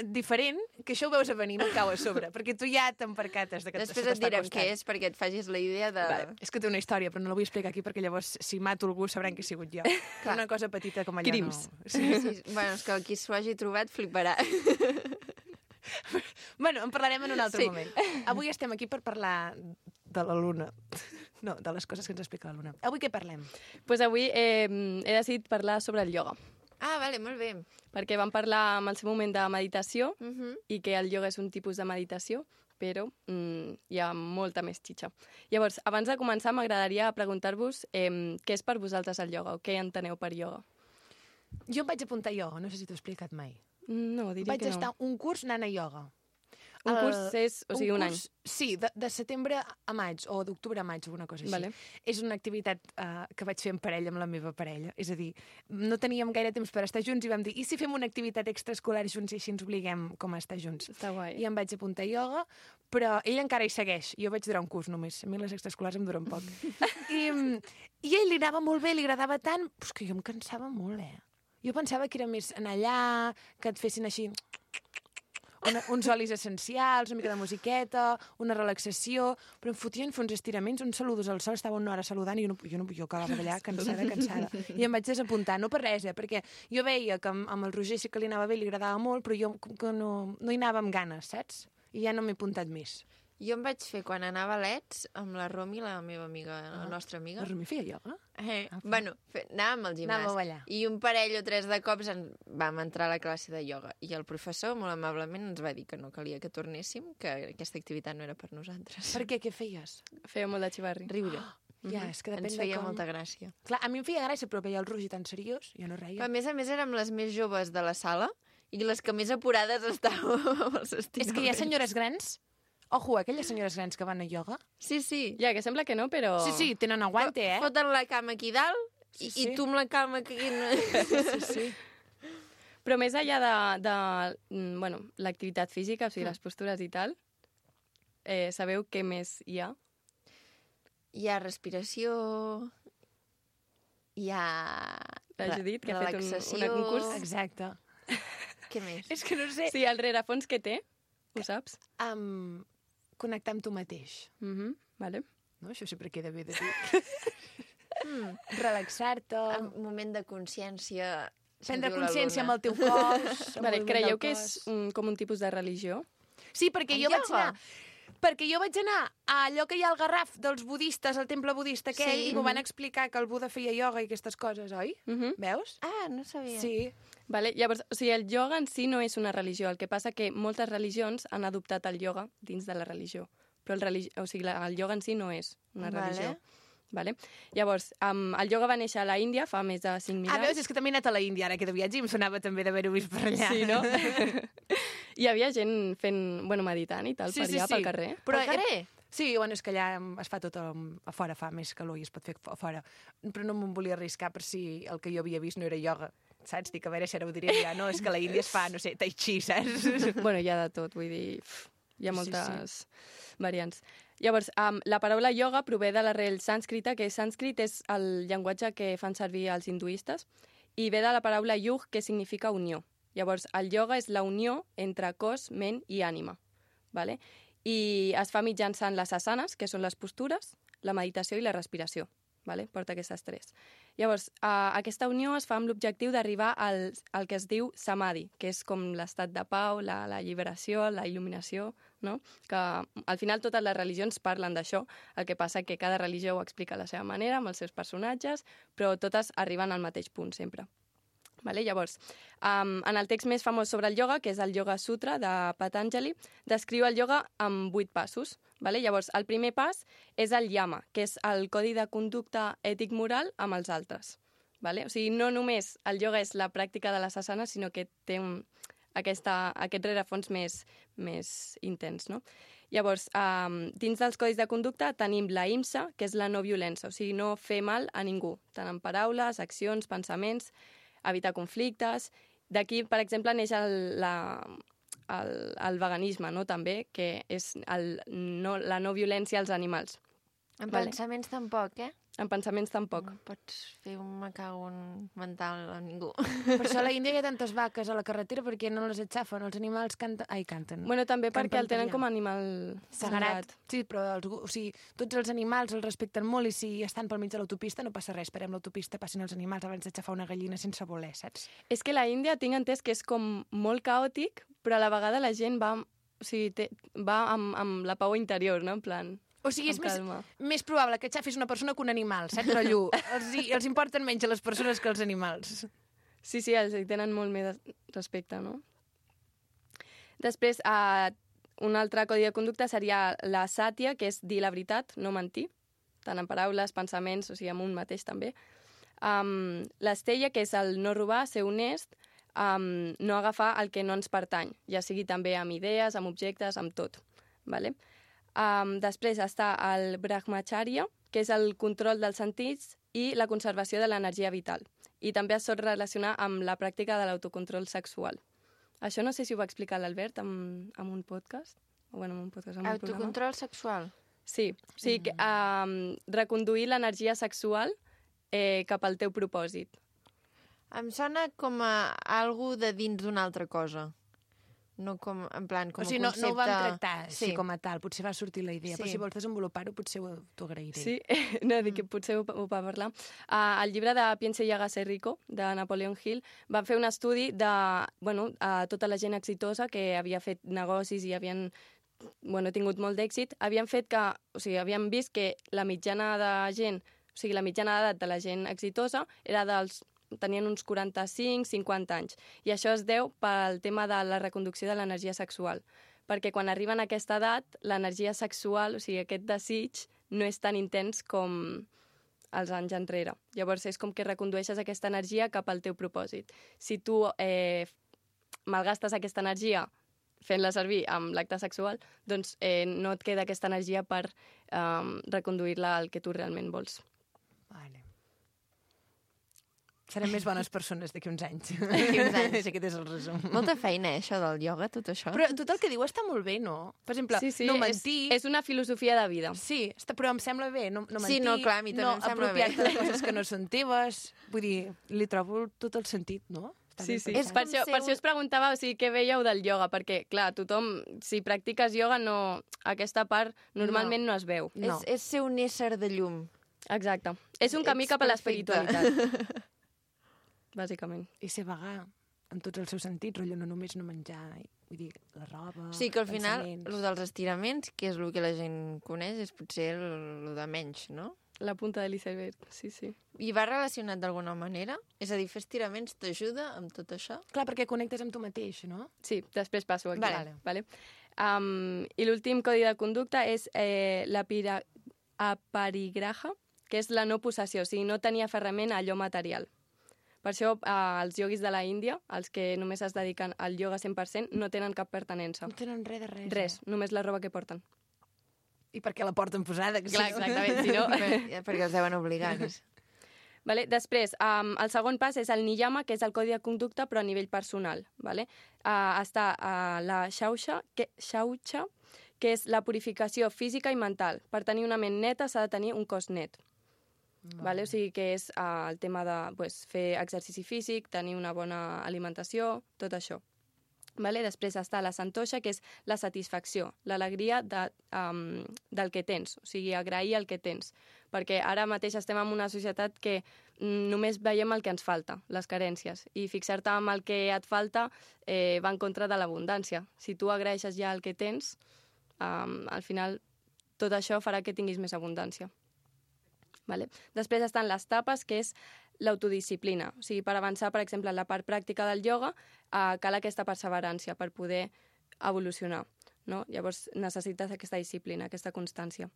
S2: diferent que això ho veus a venir, no et cau a sobre, perquè tu ja t'empercates de que
S1: Després
S2: s'ho
S1: et
S2: està
S1: direm
S2: costant.
S1: què és perquè et facis la idea de...
S2: Vale. És que té una història, però no la vull explicar aquí perquè llavors, si mato algú, sabran que he sigut jo. Però una cosa petita com allò
S6: Crims.
S2: no... Sí.
S1: Sí, bueno, és que qui s'ho hagi trobat fliparà.
S2: Bueno, en parlarem en un altre
S1: Sí.
S2: moment. Avui estem aquí per parlar de la Luna. No, de les coses que ens explica la Luna. Avui què parlem?
S6: Pues avui he decidit parlar sobre el ioga.
S1: Ah, vale, molt bé.
S6: perquè vam parlar en el seu moment de meditació
S1: Mhm.
S6: i que el ioga és un tipus de meditació, però hi ha molta més xitxa. Llavors, abans de començar, m'agradaria preguntar-vos què és per vosaltres el ioga o què enteneu per ioga.
S2: Jo em vaig apuntar a ioga, no sé si t'ho he explicat mai.
S6: No, diria
S2: Vaig
S6: que no.
S2: estar un curs anant a ioga.
S6: Un curs és, o sigui, un any.
S2: curs, sí, de setembre a maig, o d'octubre a maig, alguna cosa així.
S6: Vale.
S2: És una activitat que vaig fer en parella amb la meva parella. És a dir, no teníem gaire temps per estar junts i vam dir, i si fem una activitat extraescolar junts i així ens obliguem com a estar junts?
S6: Està guai.
S2: I em vaig apuntar a ioga, però ell encara hi segueix. Jo vaig durar un curs només. A mi les extraescolars em duren poc. I ell li anava molt bé, li agradava tant, però que jo em cansava molt, Jo pensava que era més anar allà, que et fessin així uns olis essencials, una mica de musiqueta, una relaxació, però em fotien fer uns estiraments, uns saludos al sol, estava una hora saludant i jo acabava d'allà cansada. I em vaig desapuntar, no per res, perquè jo veia que amb el Roger sí que li anava bé, li agradava molt, però jo que no hi anava amb ganes, saps? I ja no m'he apuntat més.
S1: Jo em vaig fer quan anava a l'ETS amb la Romi, la meva amiga, la nostra amiga.
S2: La Romi feia ioga?
S1: Bueno, anàvem al gimnàs.
S2: Anàveu a ballar.
S1: I un parell o tres de cops vam entrar a la classe de ioga. I el professor, molt amablement, ens va dir que no calia que tornéssim, que aquesta activitat no era per nosaltres.
S2: Per què? Què feies?
S6: Feia molt de xivarri.
S1: Riure.
S2: Ja, és que depèn
S1: Ens
S2: de
S1: feia
S2: com...
S1: molta gràcia.
S2: Clar, a mi em feia gràcia, però veia el Roger tan seriós, jo no reia.
S1: A més érem les més joves de la sala i les que més apurades estàvem amb els estiraments.
S2: És que hi ha senyores grans... Ojo, aquelles senyores grans que van a ioga.
S1: Sí, sí.
S6: Ja, que sembla que no, però...
S2: Sí, tenen aguante,
S1: Foten la cama aquí dalt i tu amb la cama aquí...
S2: Sí.
S6: Però més enllà de l'activitat física, o sigui, les postures i tal, sabeu què més hi ha?
S1: Hi ha respiració, hi ha
S6: La Judit, que ha fet un curs.
S2: Exacte.
S1: Què més?
S2: És que no sé...
S6: Sí, el rerefons que té, ho saps?
S2: Connectar amb tu mateix.
S6: Vale.
S2: No? Això sempre queda bé de dir. Relaxar-te,
S1: Un moment de consciència.
S2: prendre consciència amb el teu cos.
S6: Vale, creieu que és com un tipus de religió?
S2: Sí, perquè
S1: El
S2: jo vaig
S1: ioga?
S2: anar... Perquè jo vaig anar a allò que hi ha al Garraf dels budistes, al temple budista aquell,
S1: Sí.
S2: i m'ho van explicar que el Buda feia ioga i aquestes coses, oi? Veus?
S1: Ah, no sabia.
S2: Sí.
S6: Vale, llavors, o sigui, el ioga en si no és una religió, el que passa que moltes religions han adoptat el ioga dins de la religió, però el ioga en si no és una religió. Vale? Llavors, el ioga va néixer a la Índia fa més de 5.000 anys.
S2: Veus, és que també he anat a la Índia ara que de viatge i em sonava també d'haver-ho vist per allà.
S6: Sí, no? Hi havia gent meditant i tal, per allà, pel carrer.
S1: Però al carrer?
S2: Sí, bueno, és que allà es fa tot a fora, fa més calor i es pot fer a fora. Però no me'n volia arriscar per si el que jo havia vist no era ioga. Saps? Dic, a veure si ara ho diré ja. No, és que a la Índia es fa, no sé, tai chi, saps?
S6: Bueno, hi ha de tot, vull dir, hi ha moltes variants. Llavors, la paraula ioga prové de l'arrel sànscrita, que sànscrit és el llenguatge que fan servir els hinduistes, i ve de la paraula yug, que significa unió. Llavors, el ioga és la unió entre cos, ment i ànima. Vale? I es fa mitjançant les asanes, que són les postures, la meditació i la respiració. Vale? Porta aquestes tres. Llavors, aquesta unió es fa amb l'objectiu d'arribar al que es diu samadhi, que és com l'estat de pau, la alliberació, la il·luminació, no? Que al final totes les religions parlen d'això, el que passa que cada religió ho explica a la seva manera, amb els seus personatges, però totes arriben al mateix punt sempre. Vale? Llavors, en el text més famós sobre el ioga, que és el Yoga Sutra de Patanjali, descriu el ioga amb 8 passos. Vale? Llavors, el primer pas és el yama, que és el codi de conducta ètic-moral amb els altres. Vale? O sigui, no només el ioga és la pràctica de les asanes, sinó que té aquest rerefons més intens. No? Llavors, dins dels codis de conducta tenim la IMSA, que és la no violència, o sigui, no fer mal a ningú, tant en paraules, accions, pensaments, evitar conflictes. D'aquí, per exemple, neix el veganisme, no? També, que és la no violència als animals.
S1: En pensaments tampoc, eh?
S6: En pensaments tampoc.
S1: No pots fer un macagon mental a ningú.
S2: Per això a la Índia hi ha tantes vaques a la carretera perquè no les aixafen, els animals canten.
S6: Bueno, també perquè el tenen
S2: allà.
S6: com a animal sagrat.
S2: Sí, però tots els animals els respecten molt i si estan pel mig de l'autopista no passa res, esperem l'autopista, passin els animals abans d'aixafar una gallina sense voler, saps?
S6: És que la Índia tinc entès que és com molt caòtic, però a la vegada la gent va amb la pau interior, no? En plan...
S2: O sigui, és més probable que xafis una persona que un animal, saps, rotllo? Els importen menys a les persones que als animals.
S6: Sí, els hi tenen molt més respecte, no? Després, un altre codi de conducta seria la sàtia, que és dir la veritat, no mentir, tant en paraules, pensaments, o sigui, amb un mateix també. L'estella, que és el no robar, ser honest, no agafar el que no ens pertany, ja sigui també amb idees, amb objectes, amb tot. Vale? Després està el brahmacharya, que és el control dels sentits i la conservació de l'energia vital. I també es sol relacionar amb la pràctica de l'autocontrol sexual. Això no sé si ho va explicar l'Albert en un podcast. O bueno, en un podcast, en un programa.
S1: Autocontrol sexual.
S6: Sí, o sigui, reconduir l'energia sexual cap al teu propòsit.
S1: Em sona com a algú de dins d'una altra cosa. No com, en plan, com
S2: O sigui,
S1: un concepte...
S2: no ho vam tractar així
S1: Sí.
S2: com a tal. Potser va sortir la idea,
S1: Sí.
S2: però si vols desenvolupar-ho potser t'ho agrairé.
S6: Sí, no, dic que potser ho va parlar. El llibre de Piense y hágase rico, de Napoleon Hill, va fer un estudi de tota la gent exitosa que havia fet negocis i havien tingut molt d'èxit, havien vist que la mitjana de gent, o sigui, la mitjana d'edat de la gent exitosa tenien uns 45-50 anys. I això es deu pel tema de la reconducció de l'energia sexual. Perquè quan arriben a aquesta edat, l'energia sexual, o sigui, aquest desig, no és tan intens com els anys enrere. Llavors és com que recondueixes aquesta energia cap al teu propòsit. Si tu malgastes aquesta energia fent-la servir amb l'acte sexual, doncs no et queda aquesta energia per reconduir-la al que tu realment vols.
S2: Vale. Serem més bones persones d'aquí uns anys.
S1: D'aquí uns anys.
S2: Aquest és el resum.
S1: Molta feina, això del ioga, tot això.
S2: Però tot el que diu està molt bé, no? Per exemple, no mentir...
S6: És una filosofia de vida.
S2: Sí, però em sembla bé, no mentir,
S1: Sí, no, clar, a mi també em sembla bé.
S2: no apropiar-te de coses que no són teves. Vull dir, li trobo tot el sentit, no? Està
S6: Sí,
S2: ben
S6: sí.
S2: pensat.
S6: Per això us preguntava què veieu del ioga, perquè, clar, tothom, si practiques ioga, aquesta part normalment no es veu.
S2: No.
S1: És ser un ésser de llum.
S6: Exacte. És un camí
S1: Ets
S6: cap a
S1: perfecte.
S6: l'espiritualitat. Bàsicament.
S2: I ser vegà en tots els seus sentits, rotllo, no només no menjar, vull dir, la roba,
S1: Sí, que al final,
S2: pensaments.
S1: el dels estiraments, que és el que la gent coneix, és potser el de menys, no?
S6: La punta de l'iceberg, sí, sí.
S1: I va relacionat d'alguna manera? És a dir, fer estiraments t'ajuda amb tot això?
S2: Clar, perquè connectes amb tu mateix, no?
S6: Sí, després passo aquí.
S2: Vale.
S6: Vale. I l'últim codi de conducta és la aparigraha, que és la no possessió, o sigui, no tenir aferrament a allò material. Per això els ioguis de la Índia, els que només es dediquen al ioga 100%, no tenen cap pertenença.
S2: No tenen res de res.
S6: Res, només la roba que porten.
S2: I per què la porten posada? Que
S6: Clar,
S2: sí.
S6: exactament, si no...
S1: Perquè els deuen obligar.
S6: Vale? Després, el segon pas és el niyama, que és el codi de conducta, però a nivell personal. Vale? Està la shaucha, que és la purificació física i mental. Per tenir una ment neta s'ha de tenir un cos net. Vale? O sigui que és el tema de fer exercici físic, tenir una bona alimentació, tot això. Vale? Després està la santosha, que és la satisfacció, l'alegria del que tens, o sigui, agrair el que tens. Perquè ara mateix estem en una societat que només veiem el que ens falta, les carències, i fixar-te en el que et falta va en contra de l'abundància. Si tu agraeixes ja el que tens, al final tot això farà que tinguis més abundància. Vale? Després estan les tapes, que és l'autodisciplina. O sigui, per avançar, per exemple, en la part pràctica del ioga, cal aquesta perseverància per poder evolucionar. No? Llavors necessites aquesta disciplina, aquesta constància.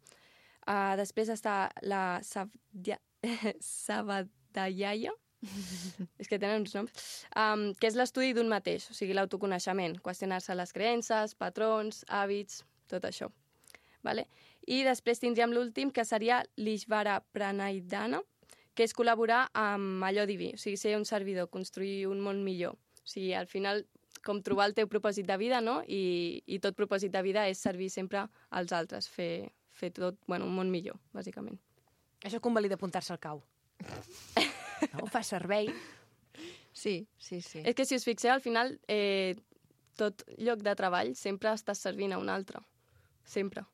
S6: Després està la Savadhyaya, és que tenen uns noms, que és l'estudi d'un mateix, o sigui, l'autoconeixement, qüestionar-se les creences, patrons, hàbits, tot això. Vale? I després tindríem l'últim, que seria l'Ishvara Pranidhana, que és col·laborar amb allò diví, o sigui, ser un servidor, construir un món millor. O sigui, al final, com trobar el teu propòsit de vida, no? I tot propòsit de vida és servir sempre als altres, fer tot, un món millor, bàsicament.
S2: Això convalida apuntar-se al cau. No? Fa servei.
S1: Sí.
S6: És que si us fixeu, al final, tot lloc de treball sempre estàs servint a un altre. Sempre.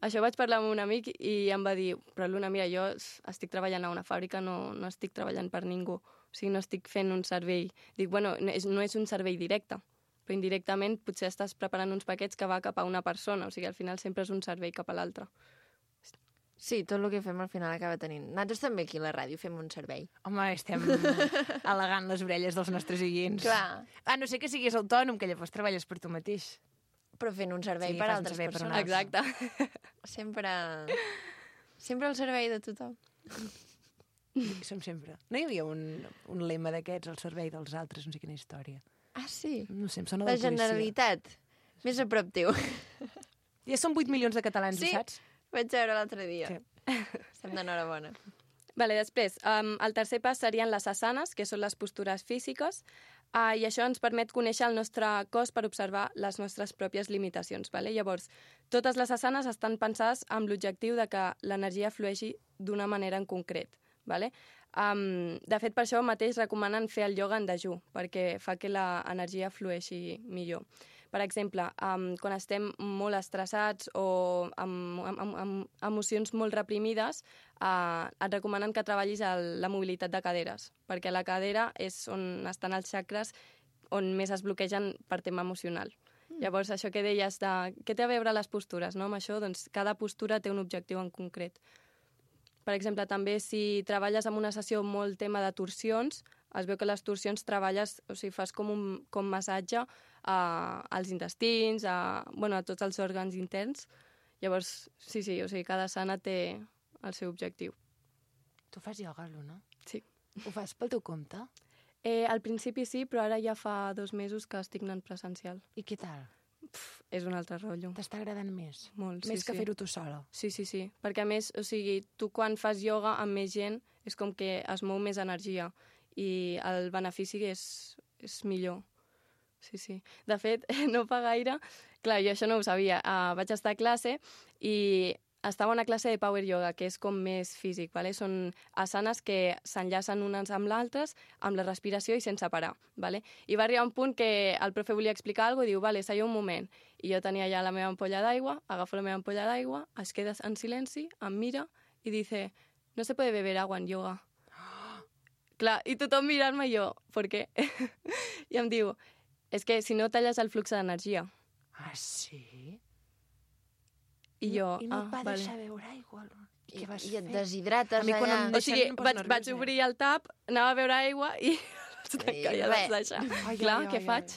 S6: Això vaig parlar amb un amic i em va dir, però Luna, mira, jo estic treballant a una fàbrica, no estic treballant per ningú. O sigui, no estic fent un servei. Dic, no és un servei directe, però indirectament potser estàs preparant uns paquets que va cap a una persona. O sigui, al final sempre és un servei cap a l'altre.
S1: Sí, tot el que fem al final acaba tenint... Nosaltres també aquí a la ràdio fem un servei.
S2: Home, estem al·legant les orelles dels nostres oients.
S1: Clar.
S2: A no ser que siguis autònom, que llavors treballes per tu mateix.
S1: Però fent un servei
S2: Sí,
S1: per
S2: fas un
S1: altres
S2: servei per
S1: persones.
S6: Exacte.
S1: Sempre al servei de tothom.
S2: Som sempre. No hi havia un lema d'aquests al servei dels altres, no sé quina història.
S1: Ah, sí?
S2: No sé, em sona
S1: La
S2: de policia.
S1: Generalitat. Més a prop teu.
S2: Ja són 8 milions de catalans,
S1: Sí.
S2: ho saps?
S1: Vaig veure l'altre dia.
S2: Sí.
S1: Estem d'enhorabona.
S6: Vale, després, el tercer pas serien les asanes, que són les postures físiques, i això ens permet conèixer el nostre cos per observar les nostres pròpies limitacions. Vale? Llavors, totes les asanes estan pensades amb l'objectiu de que l'energia flueixi d'una manera en concret. Vale? De fet, per això mateix recomanen fer el ioga en dejú, perquè fa que l'energia flueixi millor. Per exemple, quan estem molt estressats o amb emocions molt reprimides, et recomanen que treballis la mobilitat de caderes, perquè la cadera és on estan els xacres on més es bloquegen per tema emocional. Llavors, això que deies de què té a veure les postures, no? Amb això, doncs, cada postura té un objectiu en concret. Per exemple, també si treballes amb una sessió molt tema de torsions, es veu que les torsions treballes, o sigui, fas com massatge als intestins, a tots els òrgans interns. Llavors, sí, o sigui, cada sana té el seu objectiu.
S2: Tu fas ioga, Luna?
S6: Sí.
S2: Ho fas pel teu compte?
S6: Al principi sí, però ara ja fa 2 mesos que estic anant presencial.
S2: I què tal?
S6: És un altre rotllo.
S2: T'està agradant més?
S6: Molt, sí,
S2: Més que
S6: sí.
S2: fer-ho tu sola?
S6: Sí. Perquè, a més, o sigui, tu quan fas ioga amb més gent és com que es mou més energia i el benefici és millor. Sí. De fet, no fa gaire... Clar, jo això no ho sabia. Vaig estar a classe i estava a una classe de power yoga, que és com més físic, ¿vale? Són asanes que s'enllacen unes amb l'altres, amb la respiració i sense parar, ¿vale? I va arribar un punt que el profe volia explicar alguna cosa i diu, vale, seieu un moment. I jo tenia ja la meva ampolla d'aigua, agafo la meva ampolla d'aigua, es queda en silenci, em mira i dice, no se puede beber agua en yoga. Clar, i tothom mirant-me i jo, ¿por qué? I em diu, és que si no talles el flux d'energia.
S2: Ah, sí?
S6: I jo,
S2: I no et va
S6: vale.
S2: deixar beure aigua? Què vas
S1: I et
S2: fer?
S1: deshidrates
S2: A mi quan
S1: allà.
S2: em
S6: O sigui,
S2: Deixant em poso
S6: vaig
S2: nerviosa.
S6: obrir el tap, anava a beure aigua i ja vaig deixar.
S2: Ai,
S6: Clar,
S2: ai,
S6: què
S2: ai,
S6: faig?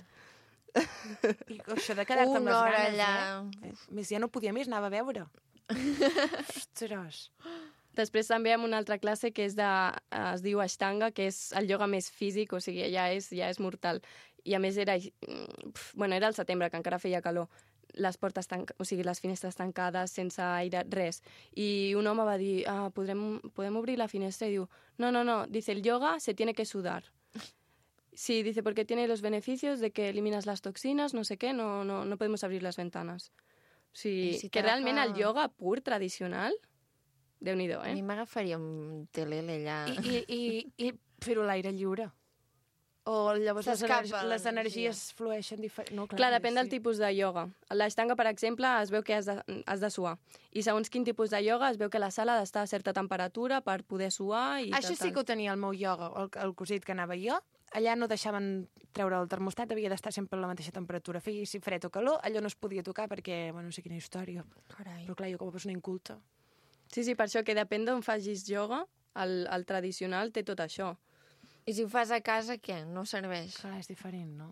S2: I això de quedar-te amb les
S1: Una hora
S2: ganes,
S1: allà.
S2: Més ja no podia més, anava a beure. Ostres.
S6: Després també amb una altra classe que es diu Ashtanga, que és el ioga més físic, o sigui, ja és mortal. I a més era el setembre, que encara feia calor. Les portes les finestres tancades, sense aire, res. I un home va dir, podem obrir la finestra? I diu, no, dice, el yoga se tiene que sudar. Sí, dice, porque tiene los beneficios de que eliminas las toxinas, no sé qué, no podemos abrir las ventanas. O sigui,
S1: si
S6: que realment
S1: t'agafa-
S6: el yoga pur, tradicional, Déu-n'hi-do,
S1: A mi m'agafaria un telele allà.
S2: I fer-ho a l'aire lliure. O llavors
S1: S'escapa
S2: les
S1: l'energia.
S2: energies flueixen diferent. No,
S6: Clar, depèn del tipus de ioga. L'ashtanga, per exemple, es veu que has de suar. I segons quin tipus de ioga es veu que la sala ha d'estar a certa temperatura per poder suar i
S2: Això sí que ho tenia el meu ioga, el cosit que anava jo. Allà no deixaven treure el termostat, havia d'estar sempre a la mateixa temperatura. Feia si fred o calor, allò no es podia tocar perquè, no sé quina història.
S1: Carai.
S2: Però clar, jo com a persona inculta...
S6: Sí, per això que depèn d'on facis ioga, el tradicional té tot això.
S1: I si ho fas a casa, què? No serveix.
S2: Clar, és diferent, no?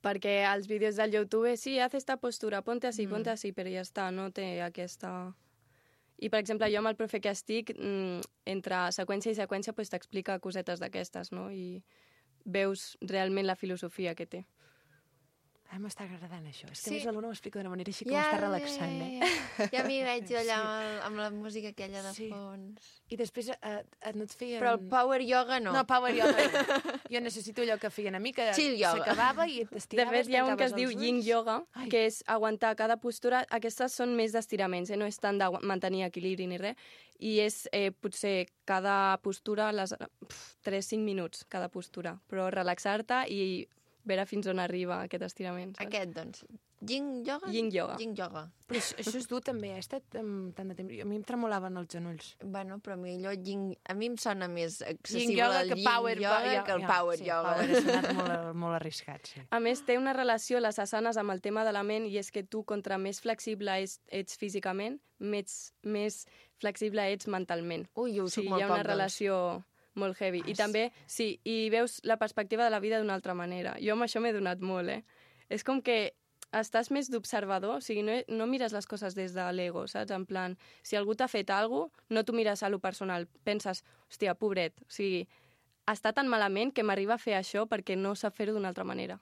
S6: Perquè als vídeos del YouTube, sí, haz esta postura, ponte así, però ja està, no té aquesta... I, per exemple, jo amb el profe que estic, entre seqüència i seqüència, pues, t'explica cosetes d'aquestes, no? I veus realment la filosofia que té.
S2: M'està agradant això. És que
S1: Sí.
S2: a més l'Aluna ho explica d'una manera així que m'està relaxant, eh?
S1: Ja m'hi veig jo allà amb la música aquella de
S2: Sí.
S1: fons.
S2: I després no et feien...
S1: Però el power yoga no.
S2: No, power yoga no. Jo necessito allò que feien a mi, que
S1: Chill yoga.
S2: s'acabava i
S6: De
S2: t'estiraves,
S6: fet, hi ha un que es
S2: tancaves
S6: diu
S2: els
S6: yin
S2: ulls.
S6: yoga,
S2: Ai.
S6: que és aguantar cada postura. Aquestes són més d'estiraments, no és tant de mantenir equilibri ni res. I és potser cada postura, 3-5 minuts cada postura. Però relaxar-te i veure fins on arriba aquest estirament. Saps?
S1: Aquest, doncs. Yin yoga?
S6: Yin yoga.
S1: Yin yoga.
S2: Però això és dur, també. He estat tant de temps... A mi em tremolaven els genolls.
S1: Bueno, però millor a mi em sona més accessible
S2: Yin yoga
S1: el
S2: que
S1: yin
S2: power
S1: yoga que el power
S2: sí,
S1: yoga.
S2: Power ha sonat molt arriscat, sí.
S6: A més, té una relació, les asanes, amb el tema de la ment, i és que tu, contra més flexible ets físicament, més flexible ets mentalment.
S1: Ui, jo ho soc
S6: Sí,
S1: molt
S6: hi ha
S1: poc,
S6: una relació molt heavy. I també, sí, i veus la perspectiva de la vida d'una altra manera. Jo amb això m'he donat molt, És com que estàs més d'observador, o sigui, no mires les coses des de l'ego, saps? En plan, si algú t'ha fet alguna cosa, no t'ho mires a lo personal. Penses, hòstia, pobret, o sigui, està tan malament que m'arriba a fer això perquè no sap fer-ho d'una altra manera.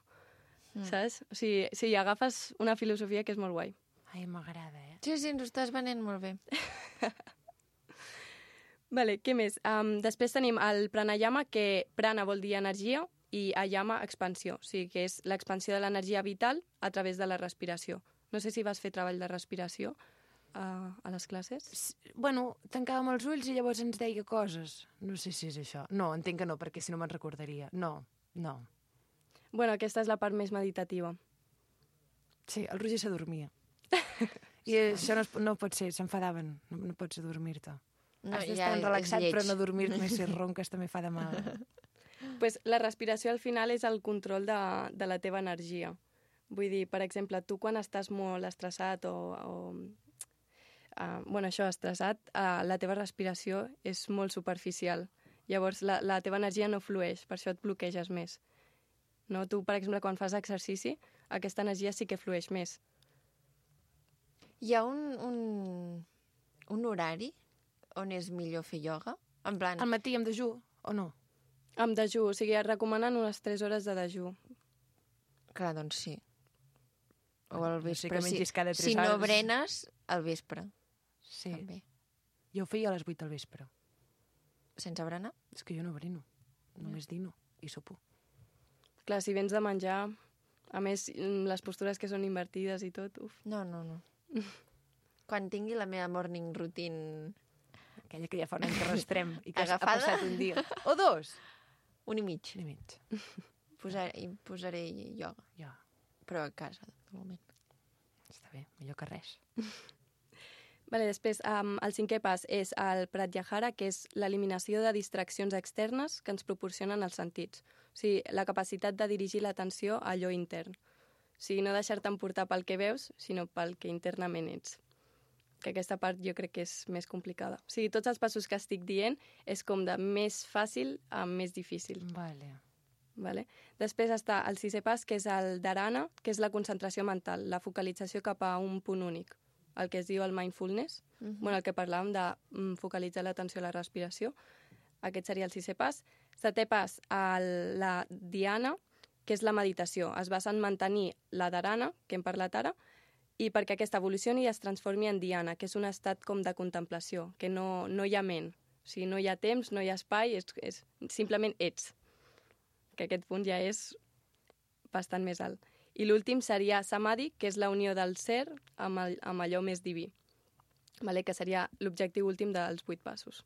S6: Saps? O sigui, sí, agafes una filosofia que és molt guai.
S2: Ai, m'agrada,
S1: Sí, ens ho estàs venent molt bé.
S6: Vale, què més? Després tenim el pranayama, que prana vol dir energia i ayama expansió, o sigui que és l'expansió de l'energia vital a través de la respiració. No sé si vas fer treball de respiració a les classes.
S2: Bueno, tancàvem els ulls i llavors ens deia coses. No sé si és això. No, entenc que no, perquè si no me'n recordaria. No.
S6: Bueno, aquesta és la part més meditativa.
S2: Sí, el Roger s'adormia. I això no pot ser, s'enfadaven. No pots adormir-te.
S1: No,
S2: Has d'estar relaxat, però no dormir-te, si ronques també fa de mal.
S6: Pues la respiració al final és el control de la teva energia. Vull dir, per exemple, tu quan estàs molt estressat estressat, la teva respiració és molt superficial. Llavors la teva energia no flueix, per això et bloqueges més. No? Tu, per exemple, quan fas exercici, aquesta energia sí que flueix més.
S1: Hi ha un horari on és millor fer ioga? En plan...
S2: Al matí amb dejú, o no?
S6: Amb dejú, o sigui, et recomanen unes 3 hores de dejú.
S1: Clar, doncs sí. O al
S2: No sé
S1: vespre.
S2: que mengis cada 3
S1: si no
S2: hores.
S1: brenes, al vespre.
S2: Sí.
S1: També.
S2: Jo ho feia a les 8 del vespre.
S1: Sense berenar?
S2: És que jo no brino. Només dino i sopo.
S6: Clar, si vens de menjar, a més, les postures que són invertides i tot, uf.
S1: No. Quan tingui la meva morning routine
S2: Aquella que ja fa un any que arrastrem i que
S1: Agafada?
S2: ha passat un dia. O 2.
S1: 1 i mig.
S2: Un i mig.
S1: Posaré ioga,
S2: Ja,
S1: però a casa, de moment.
S2: està bé, millor que res.
S6: Vale, després, el 5è pas és el pratyahara, que és l'eliminació de distraccions externes que ens proporcionen els sentits. O sigui, la capacitat de dirigir l'atenció a allò intern. O sigui, no deixar-te emportar pel que veus, sinó pel que internament ets. Que aquesta part jo crec que és més complicada. O sigui, tots els passos que estic dient és com de més fàcil a més difícil.
S2: Vale.
S6: Vale? Després està el 6è pas, que és el dharana, que és la concentració mental, la focalització cap a un punt únic, el que es diu el mindfulness, bueno, el que parlàvem de focalitzar l'atenció a la respiració. Aquest seria el 6è pas. 7è pas, la dhyana, que és la meditació. Es basa en mantenir la dharana, que hem parlat ara, i perquè aquesta evolucioni i es transformi en dhyana, que és un estat com de contemplació, que no hi ha ment. O sigui, no hi ha temps, no hi ha espai, simplement ets. Que aquest punt ja és bastant més alt. I l'últim seria samadhi, que és la unió del ser amb allò més diví, vale? Que seria l'objectiu últim dels 8 passos.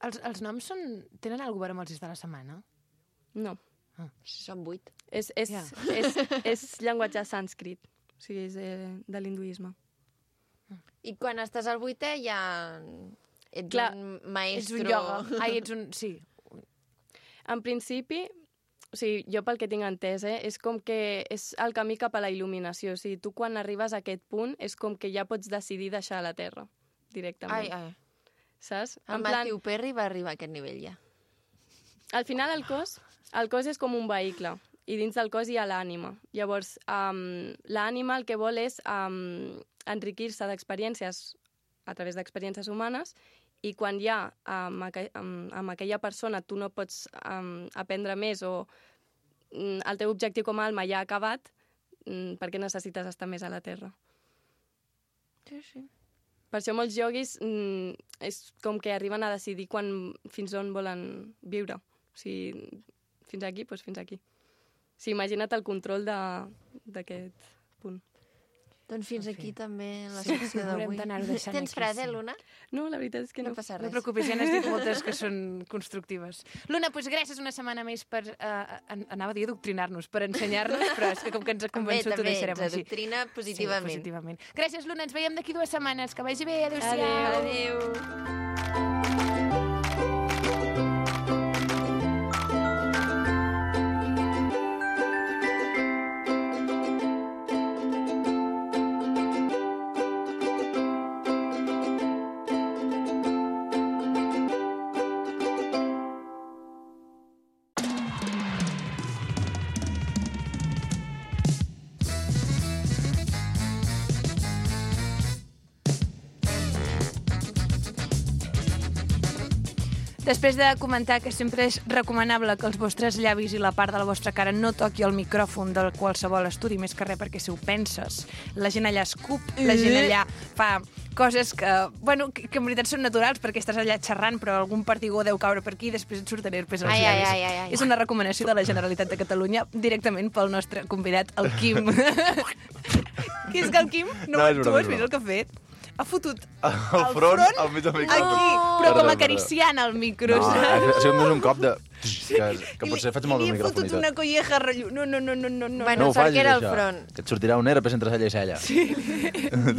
S2: Els noms tenen alguna cosa a veure amb els dies de la setmana?
S6: No,
S1: Són 8.
S6: és llenguatge sànscrit, o sigui, és de l'hinduisme.
S1: I quan estàs al 8è ja ets
S6: Clar,
S1: un maestro...
S2: Ets un ioga. Ai, ets un... Sí.
S6: En principi, o sigui, jo pel que tinc entès, és com que és el camí cap a la il·luminació. O sigui, tu quan arribes a aquest punt és com que ja pots decidir deixar la Terra, directament.
S1: Ai.
S6: Saps?
S1: El Matthew Perry va arribar a aquest nivell ja.
S6: Al final el cos és com un vehicle i dins del cos hi ha l'ànima. Llavors, l'ànima el que vol és enriquir-se d'experiències a través d'experiències humanes i quan ja amb aquella persona tu no pots aprendre més o el teu objectiu com a alma ja ha acabat, per què necessites estar més a la Terra?
S1: Sí.
S6: Per això molts ioguis és com que arriben a decidir fins on volen viure. O sigui, fins aquí, doncs fins aquí. O sigui, imagina't el control d'aquest punt.
S1: Doncs fins aquí també la secció
S2: haurem
S1: d'avui.
S2: d'anar-ho deixant
S1: Tens
S2: aquí,
S1: fred,
S2: sí.
S1: Luna?
S6: No, la veritat és que no.
S1: No passa
S2: No
S1: res.
S2: et preocupis, ja n'has dit moltes que són constructives. Luna, doncs gràcies una setmana més per, anava a dir adoctrinar-nos, per ensenyar-nos, però és que com que ens ha convençut ho deixarem
S1: ens
S2: així.
S1: adoctrina positivament.
S2: Sí, positivament. Gràcies, Luna, ens veiem d'aquí 2 setmanes. Que vagi bé, adéu-siau.
S1: Adéu.
S2: Després de comentar que sempre és recomanable que els vostres llavis i la part de la vostra cara no toqui el micròfon de qualsevol estudi, més que res perquè si ho penses, la gent allà escup, la gent allà fa coses que, bueno, que en veritat són naturals perquè estàs allà xerrant, però algun perdigó deu caure per aquí i després et surten herpes als llavis.
S1: ai.
S2: És una recomanació de la Generalitat de Catalunya directament pel nostre convidat, el Quim. Que és que el Quim,
S7: No, és
S2: tu
S7: broma,
S2: has
S7: és
S2: vist
S7: broma.
S2: el que ha fet? Ha fotut
S7: El front al mig del micro.
S2: aquí, però com acariciant el micro,
S7: No,
S2: saps?
S7: ha sigut més un cop de... Que potser faig molt
S2: I
S7: el
S2: li he fotut
S7: micròfon i
S2: una
S7: tot.
S2: colleja rotllo. No.
S1: Bueno,
S7: No ho
S1: sort
S7: facis,
S1: que era el
S7: això,
S1: front.
S7: que et sortirà un herpes entre cella i cella. Sí.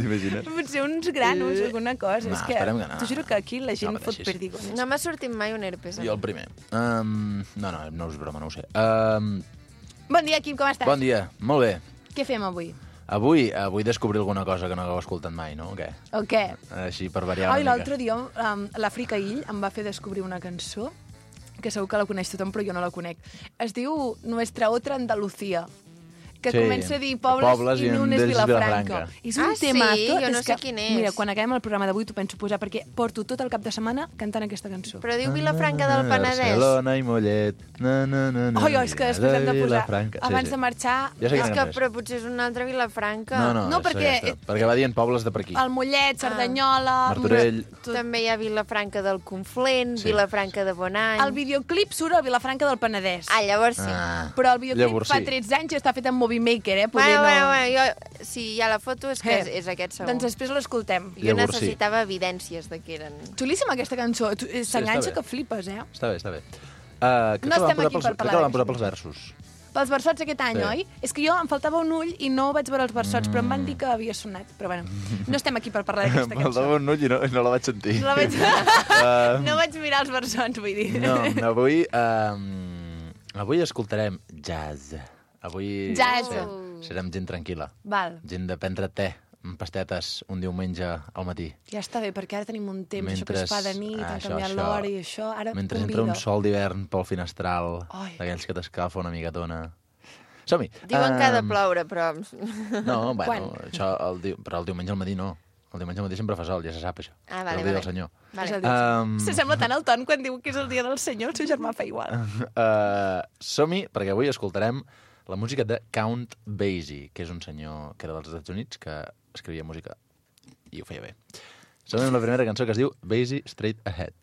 S7: T'imagines?
S2: Potser uns granos, alguna cosa.
S7: No,
S2: És que
S7: esperem que no.
S2: t'ho juro que aquí la gent
S7: No
S2: fot
S7: pateixis.
S2: perdigones.
S1: No m'ha sortit mai un herpes.
S7: Jo el primer. No és broma, no ho sé.
S2: Bon dia, Quim, com estàs?
S7: Bon dia, molt bé.
S2: Què fem avui?
S7: Avui descobrir alguna cosa que no hagueu escoltat mai, no? O què?
S2: O què?
S7: Així per variar
S2: Ai,
S7: una
S2: l'altre
S7: mica.
S2: dia l'Àfrica Ill em va fer descobrir una cançó que segur que la coneix tothom, però jo no la conec. Es diu Nuestra Otra Andalucía, que
S7: Sí,
S2: comença a dir pobles i
S7: en
S2: un és
S7: d'ells
S2: Vilafranca. És un
S1: Ah, sí?
S2: temazo.
S1: Jo no
S2: és
S1: sé
S2: que,
S1: quin és.
S2: Mira, quan acabem el programa d'avui t'ho penso posar, perquè porto tot el cap de setmana cantant aquesta cançó.
S1: Però diu Vilafranca del Penedès.
S7: Barcelona i Mollet.
S2: Ai, és que després hem de posar,
S7: Vilafranca.
S2: abans de marxar,
S7: Ja sé
S1: És
S7: quina
S1: que,
S7: cançó és.
S1: però potser és una altra Vilafranca.
S7: No,
S2: No,
S7: és
S2: perquè-
S7: aquesta, perquè va dient pobles de per aquí.
S2: el Mollet, Cerdanyola...
S7: Martorell.
S1: També hi ha Vilafranca del Conflent,
S7: Sí.
S1: Vilafranca de Bonany.
S2: El videoclip surt a Vilafranca del Penedès.
S1: Ah, llavors sí.
S2: Però el videoclip
S7: Llavors
S2: fa
S7: sí.
S2: 13 anys i està fet amb Movie Maker, Poder
S1: Bueno, jo, si hi ha la foto és que és aquest segur.
S2: Doncs després l'escoltem.
S1: Jo
S7: Llavors sí.
S1: necessitava evidències de que eren...
S2: Xulíssima aquesta cançó. S'enganxa
S7: està bé.
S2: que flipes,
S7: Està bé. Crec
S2: No
S7: que la van
S2: estem
S7: posar
S2: aquí
S7: pels-
S2: per
S7: crec
S2: parlar
S7: que la van
S2: d'això.
S7: posar pels versos.
S2: Pels versots aquest any,
S7: Sí.
S2: oi? És que jo em faltava un ull i no vaig veure els versots, però em van dir que havia sonat. Però bueno, no estem aquí per parlar d'aquesta
S7: Em
S2: cançó.
S7: faltava un ull i no la vaig sentir.
S2: No, no vaig mirar els versots, vull dir.
S7: No, avui escoltarem jazz. Avui
S2: Jazz.
S7: serem gent tranquil·la.
S2: Val,
S7: Gent de prendre te amb pastetes un diumenge al matí.
S2: ja està bé, perquè ara tenim un temps, això que es fa de nit, han
S7: això,
S2: canviat l'hora i això, ara
S7: Mentre
S2: convida.
S7: entra un sol d'hivern pel finestral,
S2: Ai.
S7: d'aquells que t'escalfa una micatona. Som-hi.
S1: Diuen que ha de ploure, però...
S7: No, bueno,
S2: Quan?
S7: això però el diumenge al matí no. El diumenge al matí sempre fa sol, ja se sap això.
S1: Ah, vale,
S7: és el dia
S1: vale.
S7: del senyor.
S2: És el
S1: Vale.
S2: dia. Se sembla tant al Ton quan diu que és el dia del senyor, el seu germà fa igual.
S7: Som-hi, perquè avui escoltarem la música de Count Basie, que és un senyor que era dels Estats Units, que escrivia música i ho feia bé. Som-hi amb la primera cançó que es diu Basie Straight Ahead.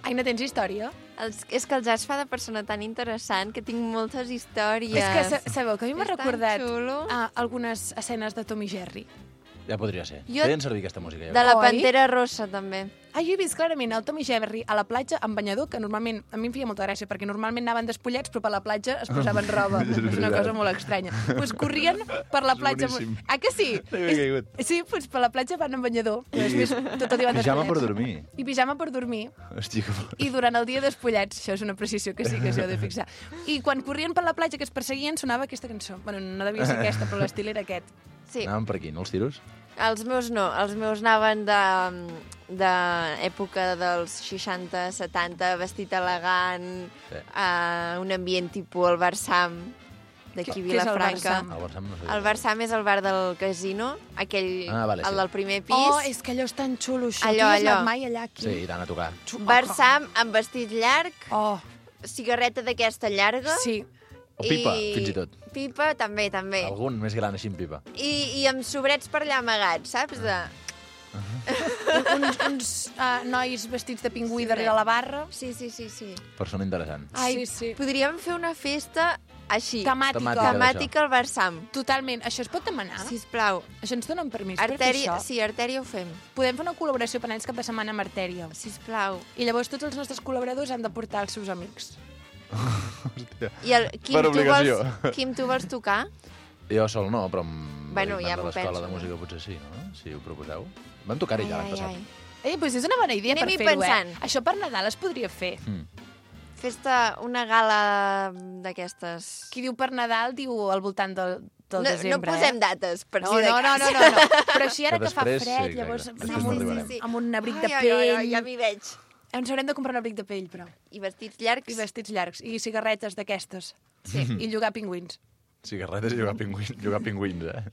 S2: Aina, tens història?
S1: És que el jazz fa de persona tan interessant que tinc moltes històries.
S2: És que sabeu que a mi m'ha
S1: És tan
S2: recordat
S1: xulo.
S2: algunes escenes de Tom i Jerry.
S7: Ja podria ser.
S1: Jo-
S7: Feien servir aquesta música. Ja
S1: De la
S2: Oi?
S1: Pantera Rossa, també.
S2: Ah, jo he vist clarament el Tom i Jerry a la platja amb banyador, que normalment, a mi em feia molta gràcia, perquè normalment anaven despullats, però per la platja es posaven roba.
S7: És
S2: És una
S7: veritat.
S2: cosa molt estranya. Pues corrien per la platja...
S7: boníssim.
S2: Ah, que sí?
S7: No hi havia caigut.
S2: Sí, pues per la platja van amb banyador. I després tot el dia van
S7: Pijama per
S2: despullats.
S7: dormir.
S2: I pijama per dormir.
S7: Hòstia, que...
S2: I durant el dia despullats. Això és una precisió que sí que s'hi heu de fixar. I quan corrien per la platja que es perseguien sonava aquesta cançó. Bueno, no devia ser aquesta, però l'estil era aquest.
S1: Sí.
S7: Anaven per aquí, no, els tiros?
S1: Els meus no, els meus anaven d'època dels 60-70, vestit elegant,
S7: Sí.
S1: un ambient tipus el Barsam, d'aquí
S2: Què és el
S1: Vilafranca.
S2: Barsam?
S7: El Barsam no sé.
S1: El Barsam és el bar del casino, aquell,
S7: Vale, sí.
S1: el del primer pis.
S2: Oh, és que allò és tan xulo, això.
S1: Allò,
S2: Tu hi has
S1: allò.
S2: anat mai allà, aquí?
S7: Sí, i tant a tocar.
S1: Barsam amb vestit llarg,
S2: Oh,
S1: cigarreta d'aquesta llarga.
S2: sí.
S7: O pipa, fins i tot.
S1: Pipa, també, també.
S7: Algun més gran així en pipa.
S1: I amb sobrets per allà amagats, saps?
S2: uns nois vestits de pingüí darrere la barra.
S1: Sí.
S7: Persona interessant.
S2: Ai, sí.
S1: Podríem fer una festa així,
S2: Temàtica.
S1: temàtica al Barsam.
S2: Totalment. Això es pot demanar?
S1: Sisplau.
S2: Això ens donen permís
S1: Artèria,
S2: per fer això?
S1: sí, Artèria ho fem.
S2: Podem fer una col·laboració per anys cap de setmana amb Artèria.
S1: Sisplau.
S2: I llavors tots els nostres col·laboradors han de portar els seus amics.
S7: Hòstia.
S1: I el Quim,
S7: Per obligació.
S1: Quim, tu vols tocar?
S7: Jo sol no, però amb
S1: Bueno,
S7: l'Ignat
S1: ja
S7: de
S1: m'ho
S7: l'escola
S1: penso,
S7: de
S1: no?
S7: música potser sí, no? Si ho proposeu. Vam tocar-hi ja l'any passat.
S2: Doncs és una bona idea
S1: Anem-hi
S2: per fer-ho,
S1: pensant.
S2: Això per Nadal es podria fer.
S1: Festa, una gala d'aquestes.
S2: Qui diu per Nadal diu al voltant del desembre.
S1: No posem dates, per
S2: No,
S1: si de
S2: no,
S1: cas.
S2: no. Però així ara
S7: Que
S2: que fa
S7: després,
S2: fred,
S7: sí,
S2: llavors
S7: exacte.
S2: anar
S7: Després
S2: amb,
S7: n'arribarem.
S2: amb un abric de
S1: Ai,
S2: pell.
S1: ja m'hi veig.
S2: Ens haurem de comprar un abric de pell, però.
S1: I vestits llargs.
S2: I vestits llargs. I cigarretes d'aquestes.
S1: Sí.
S2: I llogar pingüins.
S7: Cigarretes i jugar pingüins,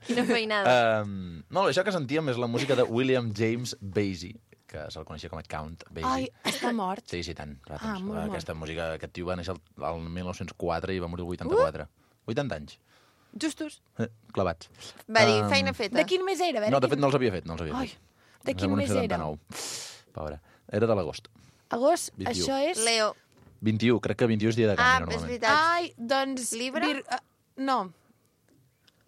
S1: Quina feinada.
S7: No, això que sentíem és la música de William James Basie, que se'l coneixia com a Count Basie.
S2: Ai, està mort.
S7: Sí, tant.
S2: molt
S7: Aquesta música, aquest tio va néixer el 1904 i va morir el 84. 80 anys.
S2: Justos.
S7: Clavats.
S1: Va dir, feina feta.
S2: De quin mes era? A veure,
S7: No, de fet no els havia fet,
S2: Ai, de
S7: Ens
S2: quin
S7: vam
S2: mes era?
S7: 79. Pobre. Era de l'agost.
S2: Agost,
S7: 21.
S2: això és...
S1: Leo.
S7: 21, crec que 21 és dia de canvi,
S1: Ah, és
S7: normalment.
S1: veritat.
S2: Ai, doncs...
S1: Libre?
S2: No,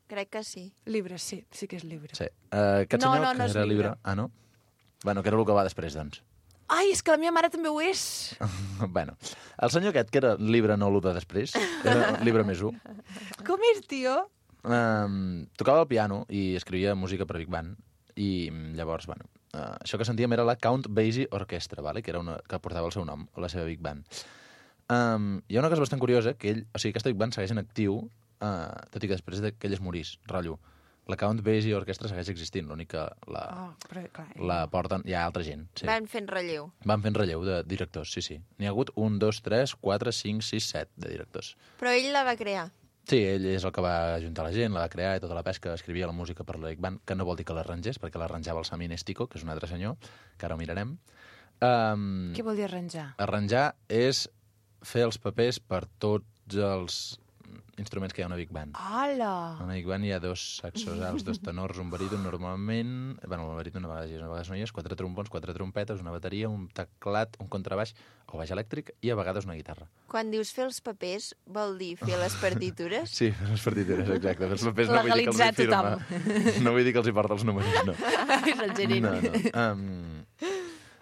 S1: Crec que sí.
S2: Libre, sí que és Libre.
S7: Sí. Aquest
S2: No,
S7: senyor
S2: no, no
S7: que
S2: és
S7: era
S2: Libre.
S7: Libre... Ah, no? Bueno, que era el que va després, doncs.
S2: Ai, és que la meva mare també ho és.
S7: Bueno, el senyor aquest, que era Libre no l'1 de després, era Libre més 1,
S2: Com és, tio?
S7: tocava el piano i escrivia música per Big Band, i llavors, bueno, això que sentíem era la Count Basie Orchestra, vale? Que era una que portava el seu nom, la seva Big Band. Hi ha una cosa bastant curiosa, que ell, o sigui, aquesta Big Band segueix en actiu, tot i que després que ell es morís, rotllo. La Count Basie Orchestra segueix existint, l'únic que
S2: Però, clar,
S7: la porten... Hi ha altra gent, sí.
S1: Van fent relleu.
S7: Van fent relleu de directors, sí. N'hi ha hagut 1, 2, 3, 4, 5, 6, 7 de directors.
S1: Però ell la va crear.
S7: Sí, ell és el que va ajuntar la gent, la va crear i tota la pesca, escrivia la música per la Big Band, que no vol dir que l'arrangés, perquè l'arranjava el Sami Nestico, que és un altre senyor, que ara ho mirarem.
S2: Què vol dir arranjar?
S7: Arranjar és fer els papers per tots els instruments que hi ha a una Big Band.
S2: Hola!
S7: A una Big Band hi ha 2 saxos alts, 2 tenors, un baríton normalment... Bueno, el baríton una vegada no hi és, 4 trompons, 4 trompetes, una bateria, un teclat, un contrabaix o baix elèctric i a vegades una guitarra.
S1: Quan dius fer els papers, vol dir fer les partitures?
S7: Sí, fer les partitures, exacte. Fer els papers no vull dir que els hi
S2: Legalitzar
S7: firma. No vull dir que els hi porta els números, no.
S2: És el gerent.
S7: No.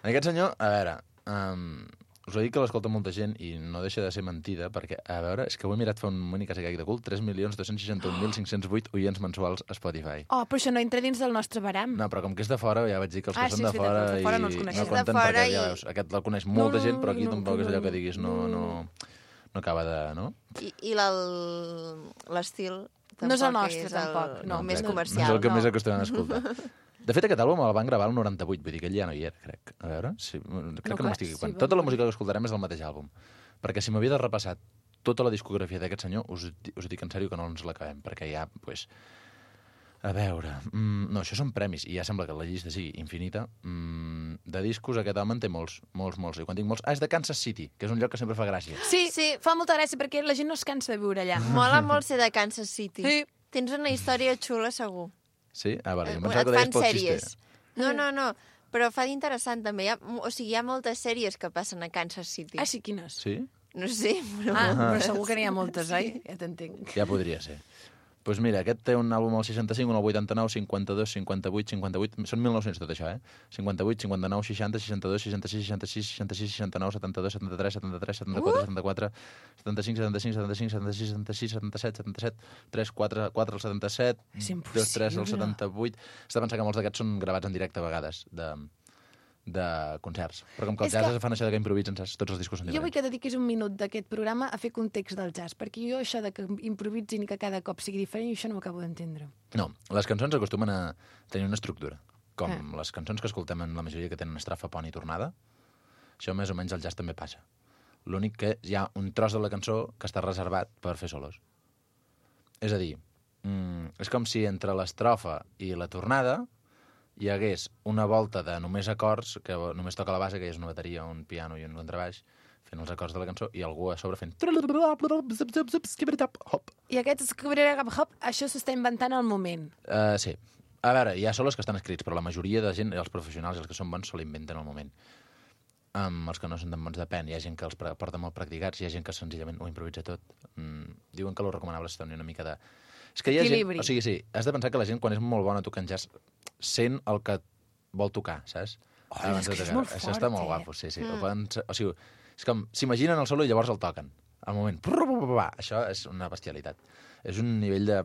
S7: Aquest senyor, a veure, us ho dic que l'escolta molta gent i no deixa de ser mentida, perquè, a veure, és que ho he mirat fa un moment i quasi caic de cul, 3.261.508 oients mensuals a Spotify.
S2: Oh, però això no entra dins del nostre baram.
S7: No, però com que és de fora, ja vaig dir que els que
S2: Sí,
S7: són de
S2: és veritat,
S7: fora,
S2: els de fora no els
S7: i
S2: coneixem.
S1: És de
S7: compten
S1: fora
S7: perquè,
S1: i-
S7: ja veus, aquest el coneix molta gent, però aquí
S2: no,
S7: tampoc és allò que
S2: no.
S7: diguis, no acaba de... No?
S1: I l'estil
S2: No és el
S1: tampoc
S2: nostre, tampoc, no.
S1: més
S7: exacte.
S1: comercial.
S7: No és el que
S2: no.
S7: més acostumem a escoltar. De fet, aquest àlbum el van gravar el 98, vull dir que ell ja no hi era, crec. A veure, crec que no
S2: clar,
S7: m'estic equivocant.
S2: sí,
S7: Tota la
S2: bon.
S7: música que escoltarem és del mateix àlbum. Perquè si m'havia de repassar tota la discografia d'aquest senyor, us dic en sèrio que no ens l'acabem, perquè ja, pues... A veure... no, això són premis, i ja sembla que la llista sigui infinita. De discos, aquest home en té molts. I quan dic molts... Ah, és de Kansas City, que és un lloc que sempre fa gràcia.
S2: Sí,
S1: Sí.
S2: fa molta gràcia perquè la gent no es cansa de viure allà.
S1: Mola molt ser de Kansas City.
S2: Sí.
S1: Tens una història xula, segur.
S7: Sí? Ah, vale, jo em
S1: Et
S7: pensava que deies
S1: fan
S7: pel
S1: sèries.
S7: xiste.
S1: No, però fa d'interessant també. Hi ha moltes sèries que passen a Kansas City.
S2: Ah, sí, quines?
S7: Sí?
S1: No sé, però...
S2: Ah, però segur que n'hi ha moltes, oi? Ja t'entenc.
S7: Ja podria ser. Doncs mira, aquest té un àlbum al 65, un al 89, 52, 58, 58... Són 1900 tot això, 58, 59, 60, 62, 66, 66, 66, 69, 72, 73, 73, 74, 74, 75, 75, 75, 76, 76, 77, 77, 3, 4 al 77,
S2: És
S7: 2, 3 al
S2: impossible.
S7: 78... Has de pensar que molts d'aquests són gravats en directe a vegades, de concerts. Però com que els
S2: És
S7: jazz
S2: que-
S7: fan això de que improvisen, saps? Tots els discos són
S2: Jo vull
S7: diferents.
S2: que dediquis un minut d'aquest programa a fer context del jazz, perquè jo això de que improvisin i que cada cop sigui diferent, això no ho acabo d'entendre.
S7: No, les cançons acostumen a tenir una estructura, com les cançons que escoltem en la majoria que tenen estrofa, pont i tornada. Això més o menys al jazz també passa. L'únic que hi ha un tros de la cançó que està reservat per fer solos. És a dir, és com si entre l'estrofa i la tornada hi hagués una volta de només acords, que només toca la base, que és una bateria, un piano i un contrabaix, fent els acords de la cançó, i algú a sobre fent... Hop.
S2: I aquest hop, això s'està inventant al moment.
S7: Sí. A veure, hi ha solos que estan escrits, però la majoria de gent, els professionals i els que són bons, se l'inventen al moment. Els que no són tan bons depèn. Hi ha gent que els porta molt practicats, hi ha gent que senzillament ho improvisa tot. Diuen que lo recomanable és tenir una mica de... És que hi ha
S2: Equilibri.
S7: gent... O sigui, sí, has de pensar que la gent, quan és molt bona tocant jazz, sent el que vol tocar, saps?
S2: és que és molt
S7: Això està
S2: fort,
S7: molt
S2: eh?
S7: guapo, sí, sí. O sigui, és com, s'imaginen el solo i llavors el toquen. Al moment. Això és una bestialitat. És un nivell de...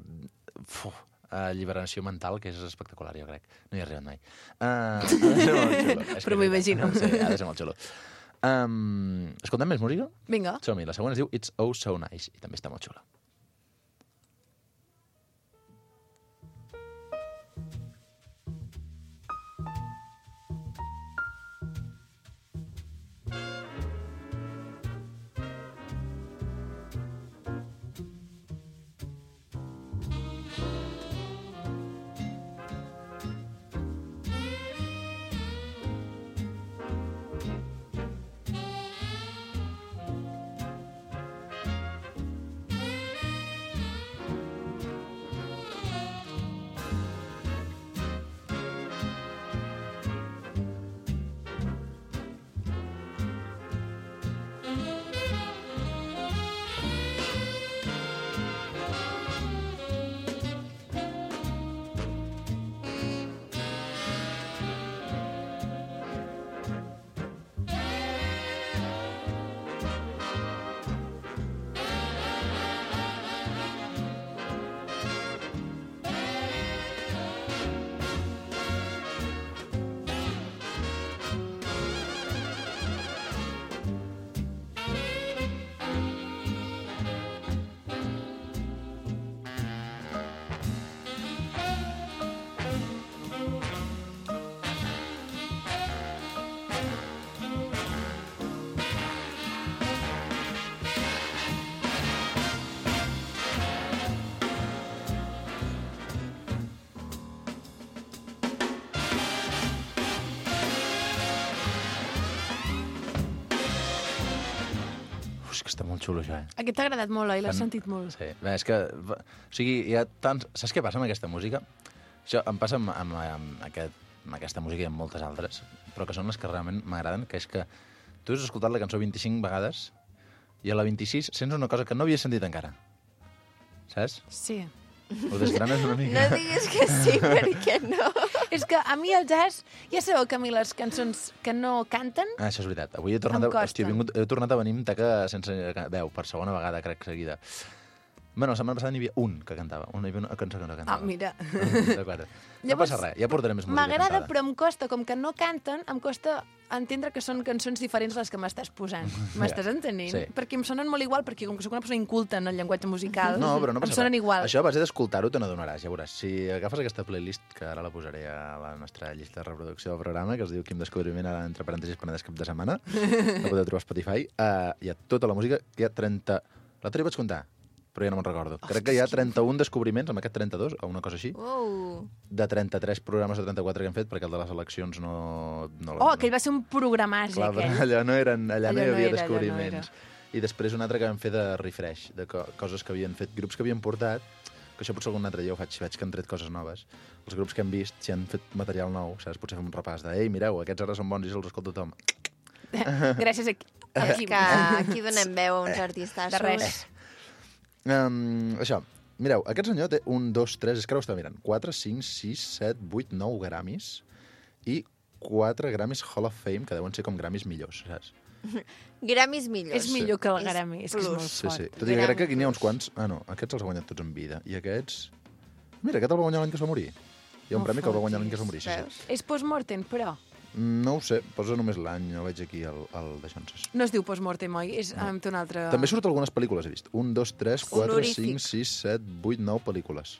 S7: alliberació mental que és espectacular, jo crec. No hi he arribat mai. Ha de ser molt xulo. És
S2: Però
S7: que
S2: m'ho
S7: és veritat.
S2: imagino.
S7: Sí, ha de ser molt xulo. Escoltem més música?
S2: Vinga.
S7: Som-hi. La següent es diu It's Oh So Nice i també està molt xula. Que està molt xulo, això,
S2: Aquest t'ha agradat molt, oi? L'has
S7: Fan-
S2: sentit molt.
S7: Sí, bé, és que... O sigui, hi ha tants... Saps què passa amb aquesta música? Això em passa amb aquesta música i amb moltes altres, però que són les que realment m'agraden, que és que tu has escoltat la cançó 25 vegades i a la 26 sents una cosa que no havies sentit encara. Saps?
S2: Sí.
S7: Ho desgranes una mica.
S1: No diguis que sí, perquè no.
S2: És que a mi el jazz... Ja sabeu que a mi les cançons que no canten...
S7: Ah, això és veritat. Avui he tornat,
S2: Em costa.
S7: he tornat a venir amb taca sense veu, per segona vegada, crec, seguida. Bueno, la setmana passada n'hi havia un que cantava. Hi havia una cançó que no cantava.
S2: Ah, mira.
S7: D'acord. No
S2: Llavors,
S7: passa res, ja portarem més música
S2: M'agrada,
S7: cantada.
S2: però em costa, com que no canten, em costa entendre que són cançons diferents les que m'estàs posant. M'estàs entenent?
S7: Sí.
S2: Perquè em sonen molt igual, perquè com que soc una persona inculta en el llenguatge musical,
S7: No, però no
S2: em
S7: passa
S2: sonen
S7: res.
S2: igual.
S7: Això a base d'escoltar-ho te n'adonaràs, ja veuràs. Si agafes aquesta playlist, que ara la posaré a la nostra llista de reproducció del programa, que es diu Quim Descobriment, ara entre parèntesis Penedès cap de setmana, la podeu trobar a Spotify, hi ha tota la música, hi ha 30... L'altre hi vaig comptar, però ja no me'n recordo. Crec que hi ha 31 descobriments, amb aquest 32, o una cosa així, de 33 programes o 34 que hem fet, perquè el de les eleccions no
S2: Oh, aquell va ser un programàs,
S7: Clar, però
S2: aquell.
S7: allò no hi havia
S2: no era.
S7: descobriments. I després un altre que vam fer de refresh, de coses que havien fet, grups que havien portat, que això potser algun altre dia ho veig que han tret coses noves. Els grups que hem vist, si han fet material nou, saps? Potser fem un repàs de, ei, mireu, aquests ara són bons i se'ls escolta tothom.
S2: Gràcies a
S1: És que aquí donem veu a uns artistes.
S2: De res.
S7: Això, Mireu, aquest senyor té 1, 2, 3, és que ara ho estava mirant, 4, 5, 6, 7, 8, 9 Grammys i 4 Grammys Hall of Fame, que deuen ser com Grammys millors, saps?
S1: Grammys millors.
S2: És millor que el
S1: És
S2: Grammy, és que és
S1: plus.
S2: molt
S7: Sí,
S2: fort.
S7: sí. Tot i que crec que aquí n'hi ha uns quants... Ah, no, aquests els ha guanyat tots en vida. I aquests... Mira, aquest el va guanyar l'any que es va morir. Hi ha un
S2: No
S7: premi que el va guanyar l'any
S2: fotis.
S7: que es va morir, sí, sí.
S1: Veus?
S2: És post-mortem, però.
S7: No ho sé, posa només l'any, no veig aquí el d'això.
S2: No es diu post-mortem, oi? És amb un altre...
S7: També surt algunes pel·lícules, he vist. 1, 2, 3, 4,
S1: Honorífic.
S7: 5, 6, 7, 8, 9 pel·lícules.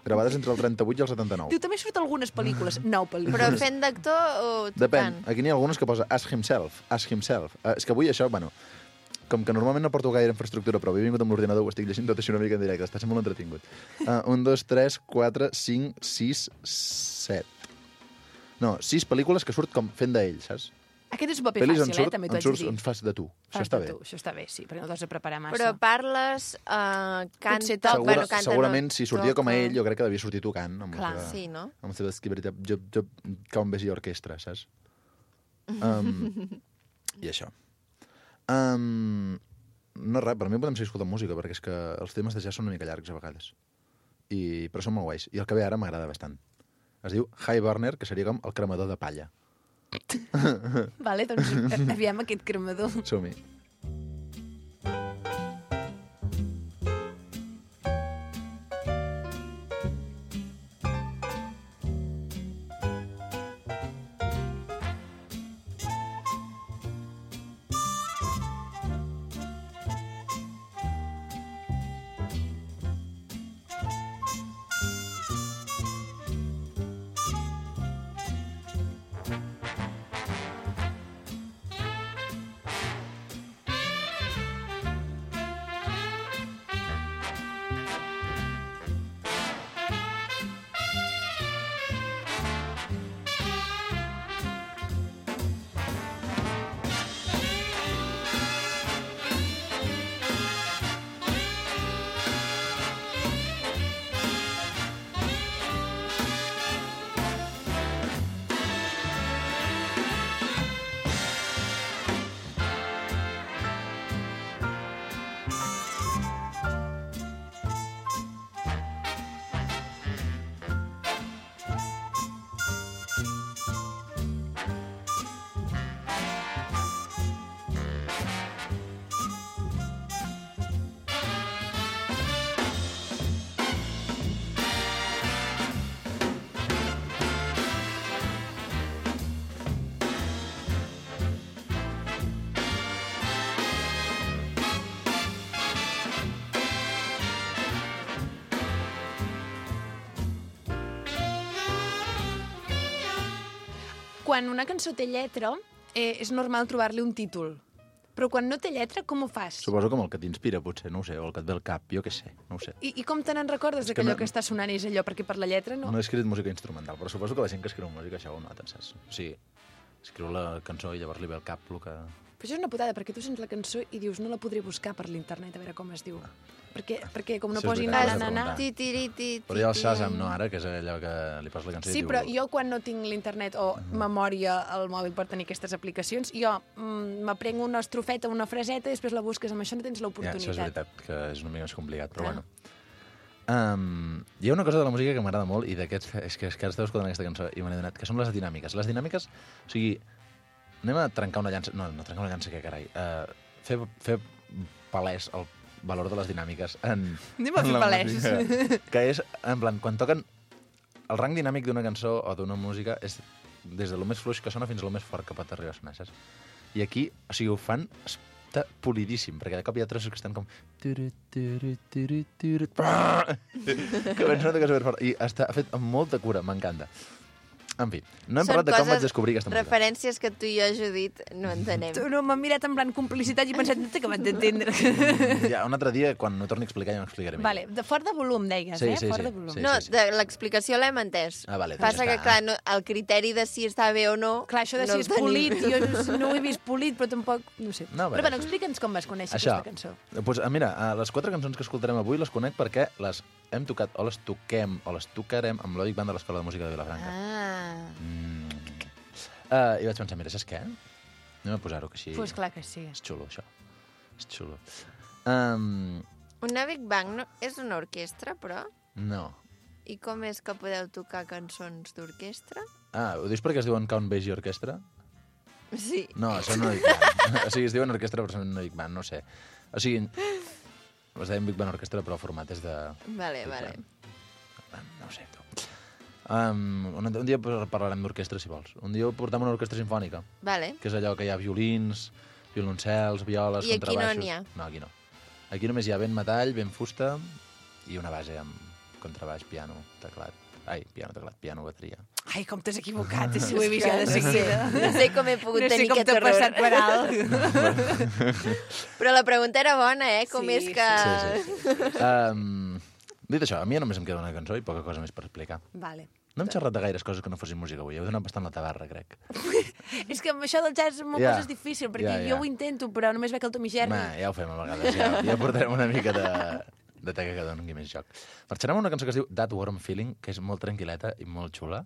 S7: Gravades entre el 38 i el 79.
S2: Diu, també surt algunes pel·lícules. 9
S1: Però
S2: pel·lícules.
S1: fent d'actor o
S7: Depèn.
S1: tocant?
S7: Aquí n'hi ha algunes que posa Ask Himself. Ask Himself. És que avui això, bueno, com que normalment no porto gaire infraestructura, però avui he vingut amb l'ordinador, ho estic llegint tot així una mica en directe. Està sent molt entretingut. 1, 2, 3, 4, 5, 6, 7. No, 6 pel·lícules que surt com fent d'ell, saps?
S2: Aquest és un paper
S7: Pel·lis
S2: fàcil, també t'ho haig de dir.
S7: on fas de tu. Això
S2: Fas
S7: està
S2: de
S7: bé.
S2: tu, això està bé, sí, perquè no t'has de preparar massa.
S1: Però parles, canta...
S2: Potser toca.
S1: canta,
S7: Segurament,
S1: no,
S7: si sortia com a
S1: toca.
S7: ell, jo crec que devia sortir tocant. Amb
S2: Clar,
S7: la seva,
S1: Sí, no?
S7: amb la seva esquiveritat, com vegi orquestra, saps? I això. No res, per mi podem seguir escoltant música, perquè és que els temes de jazz són una mica llargs a vegades. Però són molt guais. I el que ve ara m'agrada bastant. Es diu High Burner, que seria com el cremador de palla.
S2: Vale, doncs aviam aquest cremador.
S7: Som-hi.
S2: Quan una cançó té lletra, és normal trobar-li un títol. Però quan no té lletra, com ho fas?
S7: Suposo com el que t'inspira, potser, no ho sé, o el que et ve al cap, jo què sé, no ho sé.
S2: I com te n'en recordes
S7: És que
S2: d'allò
S7: no-
S2: que està sonant és allò? Perquè per la lletra no...
S7: No he escrit música instrumental, però suposo que la gent que escriu música això ho nota, saps? O sigui, escriu la cançó i llavors li ve al cap el que...
S2: Però això és una putada, perquè tu sents la cançó i dius no la podré buscar per l'internet a veure com es diu. Perquè com no
S7: Això és
S2: posi
S7: veritat,
S2: na, na, na...
S7: preguntar.
S1: Titiriti,
S7: Però hi ha el Shazam, no, ara, que és allò que li poses la cançó
S2: Sí,
S7: i diu...
S2: però jo quan no tinc l'internet o memòria al mòbil per tenir aquestes aplicacions, jo m'aprenc una estrofeta, una fraseta i després la busques. Amb això no tens
S7: Ja,
S2: l'oportunitat.
S7: això és veritat, que és una mica més complicat, però
S2: Clar.
S7: bueno. Hi ha una cosa de la música que m'agrada molt i d'aquests... És que ara esteu escoltant aquesta cançó i me n'he donat, que són les dinàmiques. Les dinàmiques, o sigui, anem a trencar una llança... No trencar una llança, què carai? Fer palès el valor de les dinàmiques en...
S2: Anem a
S7: en
S2: fer
S7: la
S2: palès.
S7: música. Que és, en plan, quan toquen... El rang dinàmic d'una cançó o d'una música és des de lo més fluix que sona fins a lo més fort que pot arribar a sonar, saps? I aquí, o sigui, ho fan està polidíssim, perquè de cop hi ha trossos que estan com... Que ben sona que és superfort. I està fet amb molta cura, m'encanta. En fi, no hem
S1: Són
S7: parlat de com
S1: coses,
S7: vaig descobrir aquesta música.
S1: referències que tu i jo, Judit, no entenem.
S2: Tu no m'ha mirat en plan complicitat i he pensat, no t'he acabat d'entendre.
S7: Ja, un altre dia, quan ho torni a explicar, ja m'explicaré millor.
S2: Vale, de fort de volum, deies,
S7: Sí,
S2: eh?
S7: sí,
S2: Fort
S7: sí,
S2: de volum.
S7: sí.
S1: No, l'explicació l'hem entès.
S7: Ah, vale, doncs
S1: Passa
S7: ja
S1: que,
S7: està.
S1: clar, no, el criteri de si està bé o no...
S2: Clar, això de
S1: no
S2: si
S1: el
S2: és
S1: tenim.
S2: polit, jo no ho he vist polit, però tampoc... No sé.
S7: No,
S2: però
S7: bé,
S2: bueno, explica'ns com vas conèixer
S7: Això.
S2: aquesta cançó.
S7: Pues, mira, les 4 cançons que escoltarem avui les conec perquè les hem tocat o les toquem o les tocarem amb l'Òdic Band de l'Escola de Música de Vilafranca. I vaig pensar, mira, saps què? Anem a posar-ho, que així...
S2: Pues clar que sí.
S7: És xulo, això. És xulo.
S1: Una Big Bang és una orquestra, però?
S7: No.
S1: I com és que podeu tocar cançons d'orquestra?
S7: Ho dius perquè es diuen Count Basie Orchestra?
S1: Sí.
S7: No, són una Big Band. O sigui, es diuen orquestra, però són una Big Band, no sé. O sigui, es deien Big Band Orquestra, però el format és de...
S1: Vale.
S7: No ho sé, tu. Un dia parlarem d'orquestra, si vols. Un dia portem una orquestra sinfònica,
S1: Vale.
S7: que és allò que hi ha violins, violoncels, violes,
S1: I aquí no
S7: contrabaixos...
S1: n'hi ha?
S7: No, aquí no. Aquí només hi ha vent metall, vent fusta i una base amb contrabaix, piano, teclat. Piano, bateria.
S2: Ai, com t'has equivocat, si ho he vist ja de seguida.
S1: No sé com he pogut
S2: No sé
S1: tenir
S2: com
S1: aquest
S2: t'ha
S1: error.
S2: passat per alt.
S1: Però la pregunta era bona, Com
S2: Sí,
S1: és que...
S7: Sí. Dit això, a mi només em queda una cançó i poca cosa més per explicar.
S2: Vale.
S7: No hem xerrat de gaires coses que no fossin música avui. Heu donat bastant la tabarra, crec.
S2: És que amb això del jazz amb
S7: Ja.
S2: coses és difícil, perquè
S7: Ja.
S2: jo ho intento, però només veig el Tom i Jerry.
S7: Ja ho fem a vegades. Ja portarem una mica de teca que doni més joc. Marxarem amb una cançó que es diu That Warm Feeling, que és molt tranquil·leta i molt xula.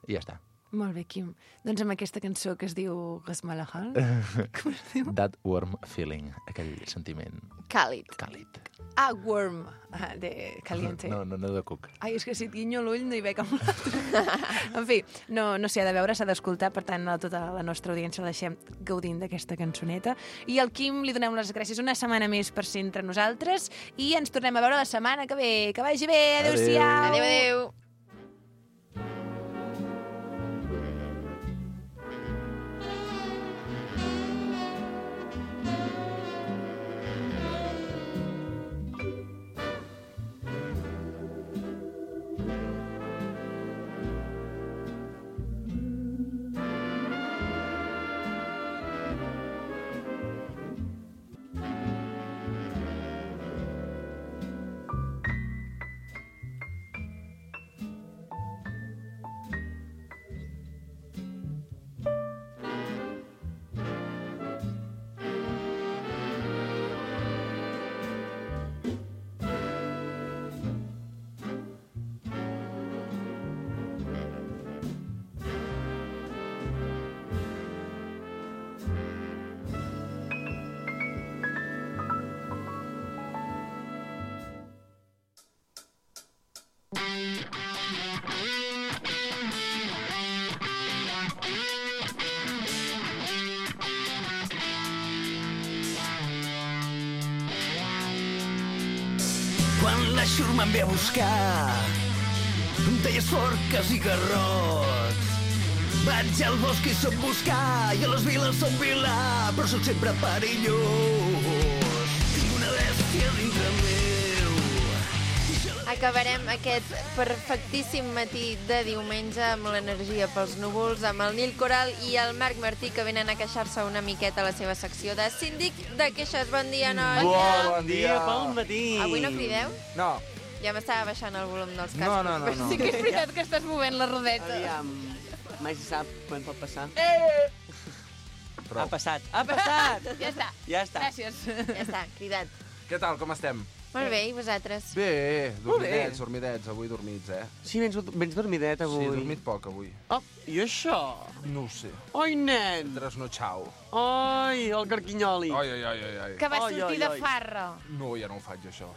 S7: I ja està.
S2: Molt bé, Quim. Doncs amb aquesta cançó que es diu Gasmalahal. Com es diu?
S7: That Warm Feeling, aquell sentiment
S1: Càlid.
S7: càlid.
S2: Warm, de caliente.
S7: No de cuc.
S2: Ai, és que si et guinyo l'ull no hi veig amb l'altre. En fi, no s'hi ha de veure, s'ha d'escoltar, per tant, a tota la nostra audiència la deixem gaudint d'aquesta cançoneta. I al Quim li donem les gràcies una setmana més per ser entre nosaltres i ens tornem a veure la setmana que ve. Que vagi bé, adéu-siau!
S1: Adéu.
S8: Quan la xurma em ve a buscar, em deies forques i garrots. Vaig al bosc i soc buscar, i a les viles soc vilà, però soc sempre perillós. Tinc una bèstia dintre meu.
S1: Acabarem aquest perfectíssim matí de diumenge amb l'energia pels núvols, amb el Nil Coral i el Marc Martí, que venen a queixar-se una miqueta a la seva secció de síndic de queixes. Bon dia, noia!
S9: Bon dia, bon matí!
S1: Avui no crideu?
S9: No.
S1: Ja m'estava baixant el volum dels cascos.
S9: No.
S2: Però sí que és veritat que estàs movent la rodeta.
S10: Aviam, mai se sap quan pot passar.
S9: Prou.
S10: Ha passat, ha passat!
S2: Ja està.
S10: Ja està.
S2: Gràcies.
S1: Ja està, cridat.
S9: Què tal, com estem?
S1: Molt bé, i vosaltres?
S9: Bé,
S10: Molt bé.
S9: dormidets, avui dormits,
S10: Sí, vens dormidet avui.
S9: Sí, he dormit poc avui.
S10: Oh, i això?
S9: No ho sé.
S10: Oi, nen!
S9: Trasnotxau.
S10: Oi, el carquinyoli.
S9: Ai.
S2: Que vas
S10: Ai,
S2: sortir
S10: ai,
S2: de
S10: ai.
S2: farra.
S9: No, ja no ho faig, això.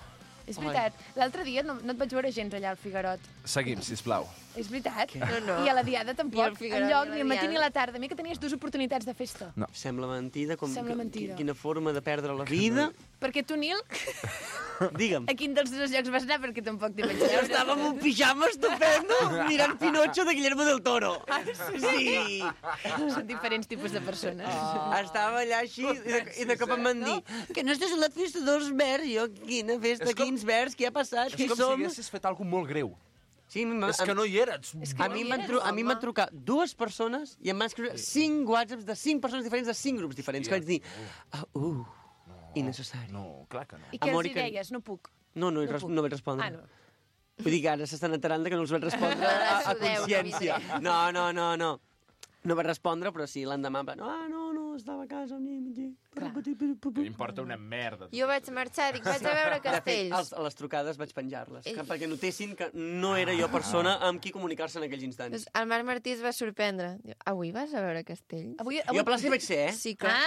S2: És veritat. L'altre dia no et vaig veure gens allà al Figarot.
S9: Seguim, sisplau.
S2: És veritat?
S1: No.
S2: I a la Diada tampoc.
S1: Ni al Figarot,
S2: Enlloc,
S1: ni a
S2: ni
S1: la
S2: al matí ni a
S1: Diada.
S2: la tarda. A mi que tenies dues oportunitats de festa.
S9: No.
S10: Sembla mentida.
S2: Sembla mentida.
S10: Quina forma de perdre la vida.
S2: Perquè tu, Nil,
S10: Digue'm.
S2: a quin dels dos llocs vas anar? Perquè tampoc t'hi vaig veure.
S10: Estava amb un pijama estupendo mirant Pinocho de Guillermo del Toro. Sí.
S2: Són diferents tipus de persones.
S10: Estava allà així i de cop em van dir que no estàs a la festa dels verds. Jo, quina festa,
S9: És com-
S10: quins verds, què ha passat?
S9: És
S10: Qui
S9: com si
S10: som?
S9: haguessis fet alguna molt greu.
S10: Sí,
S9: És que no hi eres.
S10: A mi em van trucar dues persones i em van escriure 5 whatsapps de 5 persones diferents de 5 grups diferents. Que vaig dir, innecessari.
S9: No, clar que no.
S2: I què
S10: Amor,
S2: els
S10: i
S2: hi
S10: que-
S2: deies? No puc.
S10: No
S2: puc.
S10: vaig respondre.
S2: Ah, no.
S10: Vull dir que ara s'estan enterant de que no els vaig respondre a
S1: Sudeu,
S10: consciència.
S1: David.
S10: No. No vaig respondre, però sí, l'endemà va... No, estava a casa.
S9: M'importa una merda.
S1: Jo vaig marxar, dic, vaig a veure
S10: De fet,
S1: castells.
S10: a les trucades vaig penjar-les,
S1: Ei.
S10: perquè notessin que no era jo persona amb qui comunicar-se en aquells instants.
S1: Doncs el Marc Martí es va sorprendre. Diu, avui vas a veure castells?
S2: Avui...
S10: Jo a plaça hi vaig ser,
S1: Sí, clar.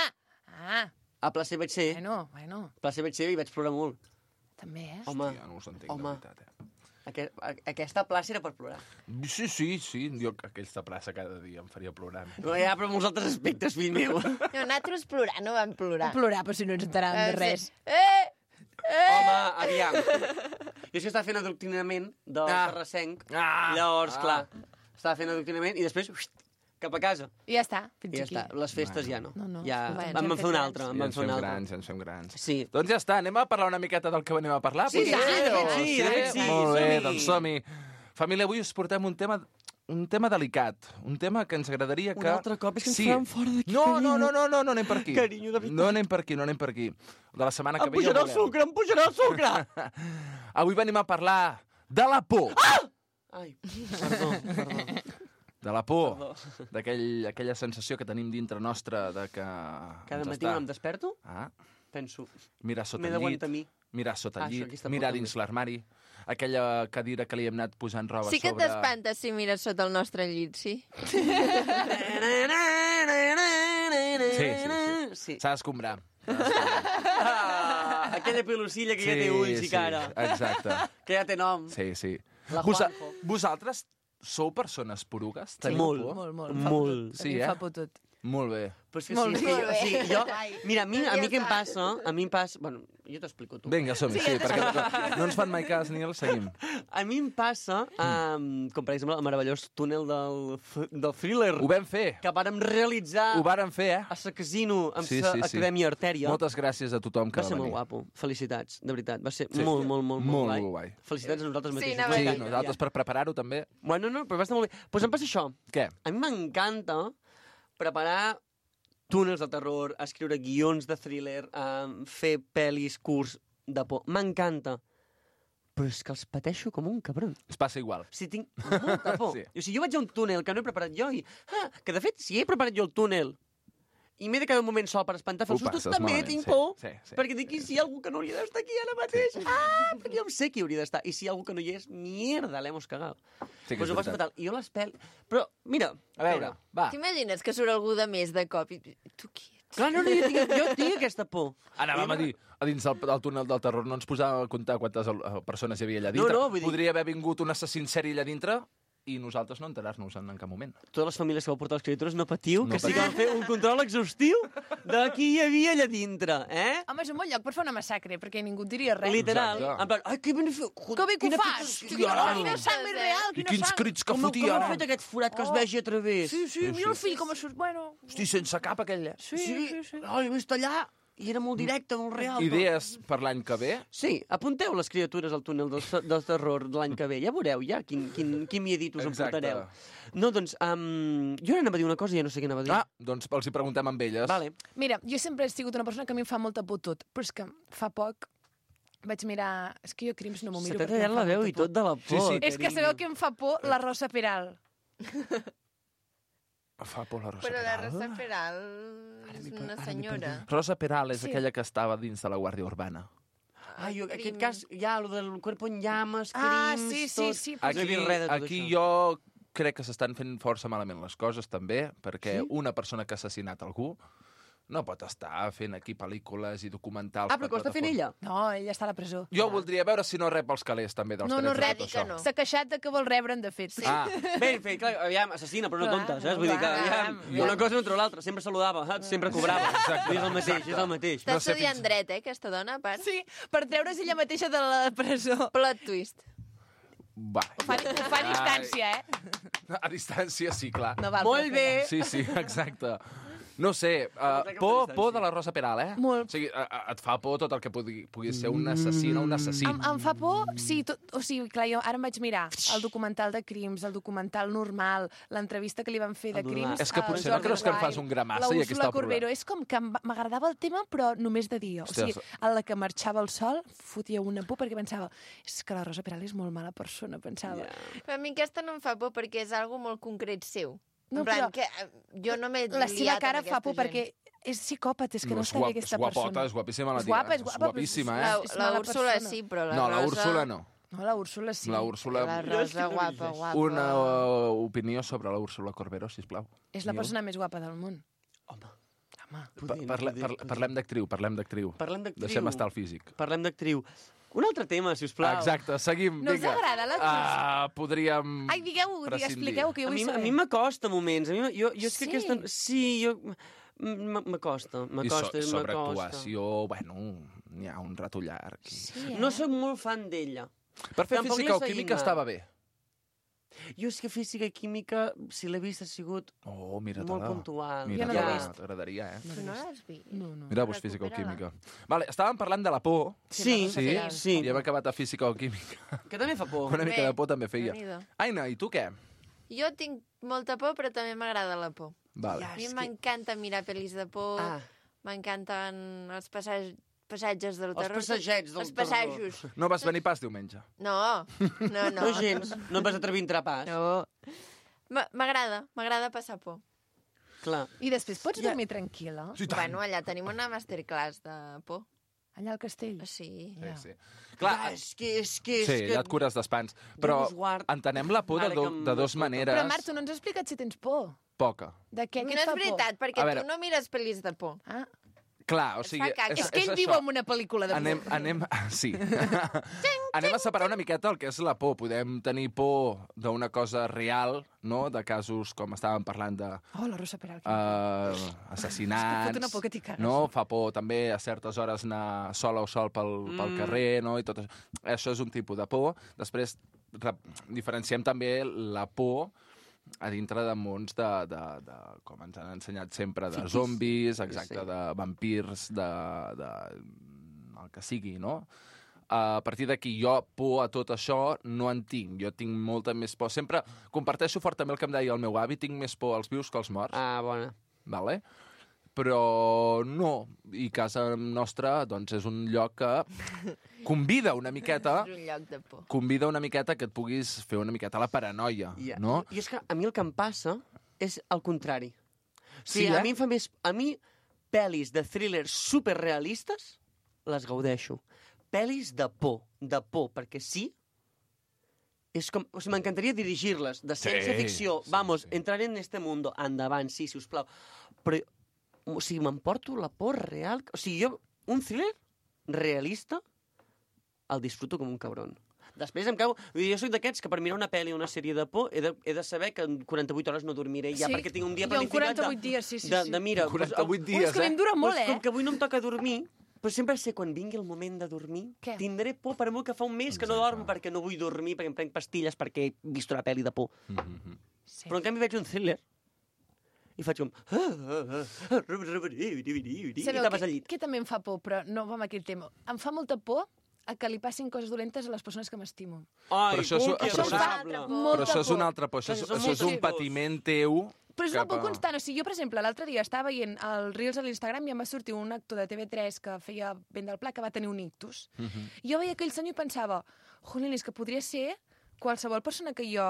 S2: Ah!
S10: A plaça hi vaig ser.
S2: Bueno.
S10: A plaça hi vaig ser i vaig plorar molt.
S2: També, eh?
S10: Home,
S9: Ja no us entenc,
S10: home.
S9: de veritat,
S10: aquesta plaça era per plorar.
S9: Sí, jo aquesta plaça cada dia em faria plorar.
S10: Ja, però molts altres aspectes, fill meu.
S1: No, nosaltres plorar, no vam plorar.
S2: Plorar, però si no ens enteràvem de res.
S10: Home, aviam. Jo és que estava fent adoctrinament del terrassenc. Llavors, clar, estava fent adoctrinament i després cap a casa.
S2: I ja està,
S10: I
S2: fins
S10: ja
S2: aquí.
S10: està. Les festes ja no.
S2: No.
S10: Ja
S2: Bueno,
S10: vam
S2: ens hem
S10: fer un
S2: fet
S10: altre.
S2: grans.
S10: Vam fer un altre.
S9: Ens fem grans.
S10: Sí.
S9: Doncs ja està, anem a parlar una miqueta del que venim a parlar.
S10: Sí,
S9: potser?
S10: de fet sí,
S9: Sí?
S10: de fet sí,
S9: Molt bé,
S10: som-hi.
S9: doncs som-hi. Família, avui us portem un tema delicat, un tema que ens agradaria que...
S10: Un altre cop, és que ens faran fora d'aquí,
S9: No,
S10: carinyo.
S9: no anem per aquí.
S10: Carinyo, de veritat.
S9: No anem per aquí. De la setmana que
S10: Em
S9: ve ja ho
S10: pujarà el
S9: veurem.
S10: sucre, em pujarà el sucre!
S9: Avui venim a parlar de la por.
S10: Ai, perdó.
S9: De la por, d'aquella sensació que tenim dintre nostra de que...
S10: Cada
S9: ens
S10: matí
S9: està...
S10: quan em desperto,
S9: Ah,
S10: penso,
S9: mirar sota
S10: m'he
S9: el llit,
S10: d'aguantar a mi.
S9: mirar sota el
S10: Això,
S9: llit,
S10: aquesta
S9: mirar
S10: por
S9: dins
S10: també.
S9: l'armari, aquella cadira que li hem anat posant roba
S1: Sí que
S9: sobre...
S1: t'espantes si mires sota el nostre llit, sí?
S10: Sí.
S9: S'ha d'escombrar.
S10: Aquella pelusilla que ja té ulls i cara.
S9: Exacte.
S10: Que ja té nom.
S9: Sí.
S10: La Juanjo.
S9: Vosaltres sou persones porugues? Teniu
S10: Molt.
S9: por?
S2: Molt.
S10: Molt.
S9: Sí,
S2: A mi
S9: eh?
S2: fa por tot.
S9: Molt bé.
S10: Però és que
S2: Molt
S10: sí,
S2: bé.
S10: és que jo, sí, jo...
S1: Ai.
S10: Mira, a mi què em passa? A mi em passa... Bueno, jo t'explico tu.
S9: Vinga, som-hi, sí, perquè no ens fan mai cas ni el seguim.
S10: A mi em passa, com per exemple el meravellós túnel del Thriller,
S9: Ho vam fer.
S10: que vàrem realitzar
S9: Ho vàrem fer,
S10: a sa casino amb
S9: Sí,
S10: sa
S9: sí, sí.
S10: Acadèmia Artèria.
S9: Moltes gràcies a tothom que
S10: Va ser
S9: va
S10: molt
S9: venir.
S10: guapo. Felicitats, de veritat. Va ser
S9: Sí.
S10: molt guai.
S9: guai.
S10: Felicitats a nosaltres
S1: Sí,
S10: mateixos.
S1: anava a
S9: Sí,
S1: dir.
S9: nosaltres per preparar-ho també.
S10: Bueno, no, però va estar molt bé. Doncs em passa això.
S9: Què?
S10: A mi m'encanta preparar túnels de terror, escriure guions de thriller, fer pel·lis, curs de por. M'encanta. Però és que els pateixo com un cabron.
S9: Es passa igual.
S10: O sigui, tinc molta por.
S9: Sí.
S10: O sigui, jo vaig a un túnel que no he preparat jo i... que, de fet, si he preparat jo el túnel i m'he de quedar un moment sol per espantar-fer els
S9: Ho
S10: sustos,
S9: passes
S10: també
S9: malament,
S10: tinc
S9: sí,
S10: por.
S9: sí, sí.
S10: Perquè dic, i si hi ha algú que no hauria d'estar aquí ara mateix? Perquè jo em sé qui hauria d'estar. I si hi ha algú que no hi és, mierda, l'hemos cagado.
S9: Sí que
S10: Pues
S9: és
S10: ho passo
S9: veritat.
S10: fatal. I jo les Però, mira,
S9: A veure, va.
S1: T'imagines que surt algú de més de cop i... Tu qui ets?
S10: Clar, no, jo tinc aquesta por.
S9: Anàvem a dir, a dins del túnel del terror no ens posava a comptar quantes persones hi havia allà dintre.
S10: No, vull dir-
S9: Podria haver vingut un assassí en sèrie allà dintre i nosaltres no enterar-nos en cap moment.
S10: Totes les famílies que vau portar les criatures, no patiu,
S9: No
S10: que sí que van fer un control exhaustiu de qui hi havia allà dintre, eh?
S2: Home, és un bon lloc per fer una massacre, perquè ningú et diria res.
S10: Literal.
S9: Exacte.
S10: En plan, ai, que ben fet.
S2: Que bé que ho fas! Quina sang més real,
S9: I
S2: quina
S9: quins
S2: sang!
S9: crits que
S10: Com
S9: fotia,
S10: ha
S9: ara!
S10: fet aquest forat que es vegi a través?
S2: Sí, mira el fill com surt. Bueno,
S9: Hosti, sense cap aquella.
S10: Sí. Ai, he vist allà i era molt directe, molt real.
S9: Idees per l'any que ve?
S10: Sí, apunteu les criatures al túnel del terror de l'any que ve. Ja veureu, ja, quin miedit us
S9: Exacte.
S10: emportareu. No, doncs, jo anava a dir una cosa i ja no sé què anava a dir.
S9: Ah, doncs els hi preguntem amb elles.
S10: Vale.
S2: mira, jo sempre he sigut una persona que a mi em fa molta por tot, però és que fa poc vaig mirar... És que jo Crims no m'ho
S10: Se
S2: miro
S10: t'ha
S2: perquè em
S10: tallat
S2: fa
S10: la veu
S2: molta
S10: i
S2: por.
S10: tot de la por.
S9: Sí, sí.
S2: És que sabeu que em fa por la Rosa Peral.
S9: Fa por la Rosa
S1: Però la
S9: Peral.
S1: Rosa Peral és una senyora.
S9: Rosa Peral és
S2: Sí.
S9: aquella que estava dins de la Guàrdia Urbana.
S10: Ai, en aquest
S1: Crim.
S10: cas, ja, lo del cuerpo en llames,
S2: Ah,
S10: crims,
S2: sí,
S10: tot.
S2: sí.
S10: No he vist res de tot
S9: Aquí
S10: això.
S9: jo crec que s'estan fent força malament les coses, també, perquè una persona que ha assassinat algú no pot estar fent aquí pel·lícules i documentals...
S10: Ah, però que ho està fent ella?
S2: No, ella està a la presó.
S9: Jo voldria veure si no rep els calés, també, dels
S2: No, no
S9: drets de
S1: rep,
S9: tot
S1: que
S9: això.
S1: no.
S2: S'ha queixat de que vol rebre'n, de fet. Sí.
S9: Ah,
S10: Ben fet, clar, aviam, assassina, però no
S2: Clar,
S10: tonta, saps? Vull dir que, aviam,
S2: aviam.
S10: una cosa no treu l'altra, sempre saludava, saps? Sempre cobrava.
S9: Exacte,
S10: És el mateix, és el mateix.
S1: Està
S9: No sé
S1: estudiant
S9: fins-
S1: dret, aquesta dona, a part.
S2: Sí, per treure's ella mateixa de la presó.
S1: Plot twist.
S9: va.
S2: Ho fa a distància, eh?
S9: A distància, sí, clar.
S2: No val
S10: Molt bé.
S9: Sí, sí, exacte. No sé, por de la Rosa Peral, eh?
S2: Molt.
S9: O sigui, et fa por tot el que pugui ser un assassí o un assassí.
S2: Em fa por, sí, o sigui, clar, jo ara em vaig mirar el documental de Crims, el documental normal, l'entrevista que li van fer de
S10: El normal.
S2: Crims...
S9: És que
S2: al
S9: potser no
S2: Jordi
S9: creus que en
S2: Wild,
S9: fas un gramassa
S2: la
S9: i aquí està
S2: Úrsula
S9: el problema.
S2: Corbero. És com que m'agradava el tema, però només de dia. O sigui,
S9: Hòsties.
S2: a la que marxava el sol, fotia una por perquè pensava és que la Rosa Peral és molt mala persona, pensava.
S1: Però a mi aquesta no em fa por perquè és algo molt concret seu.
S2: No,
S1: En plan,
S2: però
S1: que jo no m'he
S2: La seva
S1: liat
S2: cara
S1: amb
S2: fa por
S1: aquesta gent.
S2: perquè és psicòpata, és que no,
S9: és
S2: està bé
S9: guap-
S2: aquesta
S9: és guapota,
S2: persona.
S9: és guapíssima la
S2: És
S9: tia.
S2: guapa, és
S9: És
S2: guapa, però
S9: guapíssima,
S1: La,
S9: eh?
S2: és
S1: la
S2: mala
S1: Úrsula
S2: persona.
S1: sí, però la
S9: No, la
S1: Rosa...
S9: Úrsula no.
S2: No, la Úrsula sí.
S9: La Úrsula...
S1: La Rosa, guapa, guapa.
S9: Una opinió sobre la Úrsula Corbero, sisplau.
S2: És la persona més guapa del món.
S10: Home,
S2: Home.
S10: poder.
S9: Parlem d'actriu, parlem d'actriu.
S10: Parlem d'actriu.
S9: Deixem estar el físic.
S10: Parlem d'actriu. Un altre tema, sisplau.
S9: Exacte, seguim.
S2: No us
S9: vinga.
S2: agrada la
S9: Podríem...
S2: Ai, digueu-ho,
S9: prescindir.
S2: expliqueu, que jo
S10: A
S2: vull
S10: mi
S2: saber.
S10: m'acosta a moments. Jo és que
S2: Sí?
S10: aquesta... Sí, jo... M'acosta.
S9: I sobre actuació, bueno, n'hi ha un rato llarg.
S2: Sí,
S10: No sóc molt fan d'ella.
S9: Per fer
S10: Tampoc
S9: física o
S10: l'he
S9: química
S10: seguit
S9: estava
S10: mai.
S9: bé.
S10: Jo és que física i química, si l'he vist, ha sigut
S9: Oh, mira-te-la.
S10: molt puntual.
S2: Jo no l'he vist.
S9: T'agradaria, eh?
S1: Tu no l'has vist?
S2: No, no.
S9: Mira-vos física o
S1: Recupera-la.
S9: química. Vale, estàvem parlant de la por.
S10: Sí,
S9: Sí?
S10: sí.
S9: I hem acabat a física o química.
S10: Que també fa por.
S9: Una mica
S1: Bé,
S9: de por també feia.
S1: Déu-n'hi-do.
S9: Aina, i tu què?
S1: Jo tinc molta por, però també m'agrada la por.
S9: Vale.
S1: A mi m'encanta mirar pel·lis de por, m'encanten els passatges del
S10: Els
S1: terror.
S10: passejets del
S1: Els passejos.
S9: No vas venir pas diumenge.
S1: No, no.
S10: No gens. No et vas atrevir a entrar pas.
S1: No. M'agrada passar por.
S10: Clar.
S2: I després pots dormir tranquil·la?
S9: Sí, tant.
S1: Bueno, allà tenim una masterclass de por.
S2: Allà al castell?
S1: Sí.
S9: Sí, sí. Clar,
S10: És que...
S9: sí, allà et cures d'espants. Però
S10: us guard.
S9: entenem la por
S10: Ara que
S9: de dos
S10: m'escolta.
S9: maneres.
S2: Però, Marc, tu no ens has explicat si tens por.
S9: Poca.
S2: De què?
S1: No
S2: Què et
S1: és
S2: fa por?
S1: veritat, perquè
S9: A veure.
S1: tu no mires pel·lis de por.
S2: Ah,
S9: Clar, o
S1: Et
S9: sigui...
S1: fa caca.
S2: és que ell viu
S9: això.
S2: en una pel·lícula de por.
S9: Anem, sí. Anem a separar una miqueta el que és la por. Podem tenir por d'una cosa real, no? De casos com estàvem parlant de
S2: Oh, la Rosa Peral.
S9: assassinats.
S2: És que fot una por que t'hi cagues.
S9: No? Fa por també a certes hores anar sola o sol pel carrer, no? I tot això. Això és un tipus de por. Després diferenciem també la por a dintre de mons com ens han ensenyat sempre, de zombis, exacte, de vampirs, de el que sigui, no? A partir d'aquí, jo por a tot això no en tinc. Jo tinc molta més por. Sempre comparteixo fort també el que em deia el meu avi, tinc més por als vius que als morts.
S10: Ah, bona.
S9: Vale? Però no. I casa nostra, doncs, és un lloc que convida una miqueta
S1: És un lloc de por.
S9: que et puguis fer una miqueta la paranoia, no?
S10: I és que a mi el que em passa és el contrari. O
S9: Sí,
S10: sigui,
S9: eh?
S10: a mi em fa més... A mi, pel·lis de thrillers superrealistes, les gaudeixo. Pel·lis de por, perquè sí, és com... O sigui, m'encantaria dirigir-les, de ciència ficció.
S9: sí,
S10: Vamos,
S9: sí.
S10: entrar en este mundo. Endavant, sí, si us plau. Però, o sigui, m'emporto la por real. O sigui, jo, un thriller realista, el disfruto com un cabron. Després em cau... Vull dir, jo soc d'aquests que per mirar una pel·li o una sèrie de por he de saber que en 48 hores no dormiré ja,
S2: Sí.
S10: perquè tinc un dia
S2: Jo en
S10: planificat
S2: 48 dies, sí.
S10: de mira...
S9: 48
S2: Ui,
S9: dies,
S2: és que a mi em dura molt,
S10: Com
S2: eh?
S10: que avui no em toca dormir, però sempre sé quan vingui el moment de dormir,
S2: Què?
S10: tindré por per molt que fa un mes que no dormo perquè no vull dormir, perquè em prenc pastilles perquè he vist una pel·li de por.
S2: Sí.
S10: Però en canvi veig un thriller i faig com... I
S2: Sabeu
S10: tapes al llit.
S2: què també em fa por, però no va amb aquell tema. Em fa molta por a que li passin coses dolentes a les persones que m'estimo.
S10: Ai,
S9: Però això és-
S10: que
S9: però això és-
S10: adorable.
S9: Però això és
S2: por.
S9: un altre por. Això
S10: Això són
S9: és un
S10: moltes
S9: patiment teu...
S2: Però és una
S9: cap
S2: por
S9: a-
S2: constant. O sigui, jo, per exemple, l'altre dia estava veient els Reels a l'Instagram i em va sortir un actor de TV3 que feia ben del pla que va tenir un ictus. I jo veia aquell senyor i pensava, jolín, és que podria ser qualsevol persona que jo...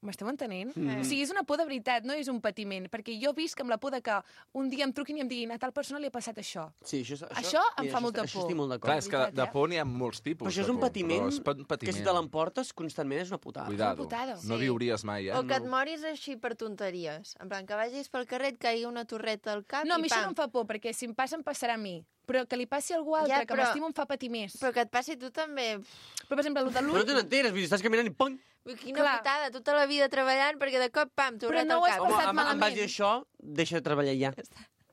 S2: M'esteu entenent? O sigui, és una por de veritat, no és un patiment, perquè jo visc amb la por de que un dia em truquin i em diguin a tal persona li ha passat això.
S10: Sí,
S2: Això em fa molta
S10: Això
S2: por.
S10: estic molt
S9: Clar,
S10: d'acord.
S9: és que de por n'hi ha molts tipus.
S10: Però això és
S9: de
S10: un
S9: por,
S10: patiment,
S9: però és un patiment.
S10: que si te l'emportes constantment és una putada.
S9: Cuidado,
S2: Una putada.
S9: no
S1: Sí.
S9: viuries mai, eh?
S1: O que et moris així per tonteries. En plan, que vagis pel carrer, et caigui una torreta al cap
S2: No, a
S1: i
S2: mi això no
S1: pam.
S2: em fa por, perquè si em passa, em passarà a mi. Però que li passi a algú altre,
S1: Ja,
S2: que
S1: però-
S2: m'estimo, em fa patir més.
S1: Però que et passi a tu també.
S2: Però, per exemple, el de
S10: Però no
S2: l'ull...
S10: te n'enteres, vull dir, estàs caminant i pum!
S1: Ui, quina
S2: Clar.
S1: putada, tota la vida treballant perquè de cop, pam,
S2: Però
S1: torreta
S2: no
S1: al
S2: ho has
S1: cap.
S10: Home,
S2: passat
S10: en
S2: malament.
S10: base a això, deixa de treballar ja.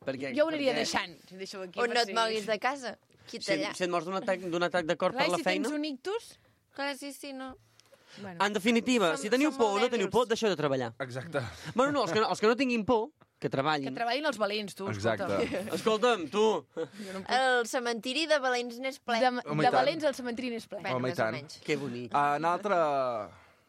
S10: Perquè,
S2: Jo ho aniria deixant. Si deixo aquí,
S1: O no
S2: per
S1: et
S2: si-
S1: moguis de casa. Quita allà.
S10: Si et mors d'un atac de cor
S2: Clar,
S10: per
S2: i
S10: la
S2: si
S10: feina...
S2: tens un ictus...
S1: Clar, sí, no.
S2: Bueno.
S10: En definitiva,
S1: Som-
S10: si teniu
S1: som
S10: por o
S1: molt
S10: no teniu
S1: dèbils.
S10: por, deixeu de treballar.
S9: Exacte.
S10: Bueno, no, els que no tinguin por, que treballin.
S2: Que treballin els valents, tu,
S9: Exacte.
S2: escolta.
S10: Escolta'm, tu,
S1: El cementiri de Valents n'és ple.
S2: De,
S9: Home, i
S2: de
S9: tant.
S2: Valents el cementiri n'és ple.
S1: Bueno,
S9: Home, i
S1: més o
S9: tant.
S1: menys.
S10: que bonic.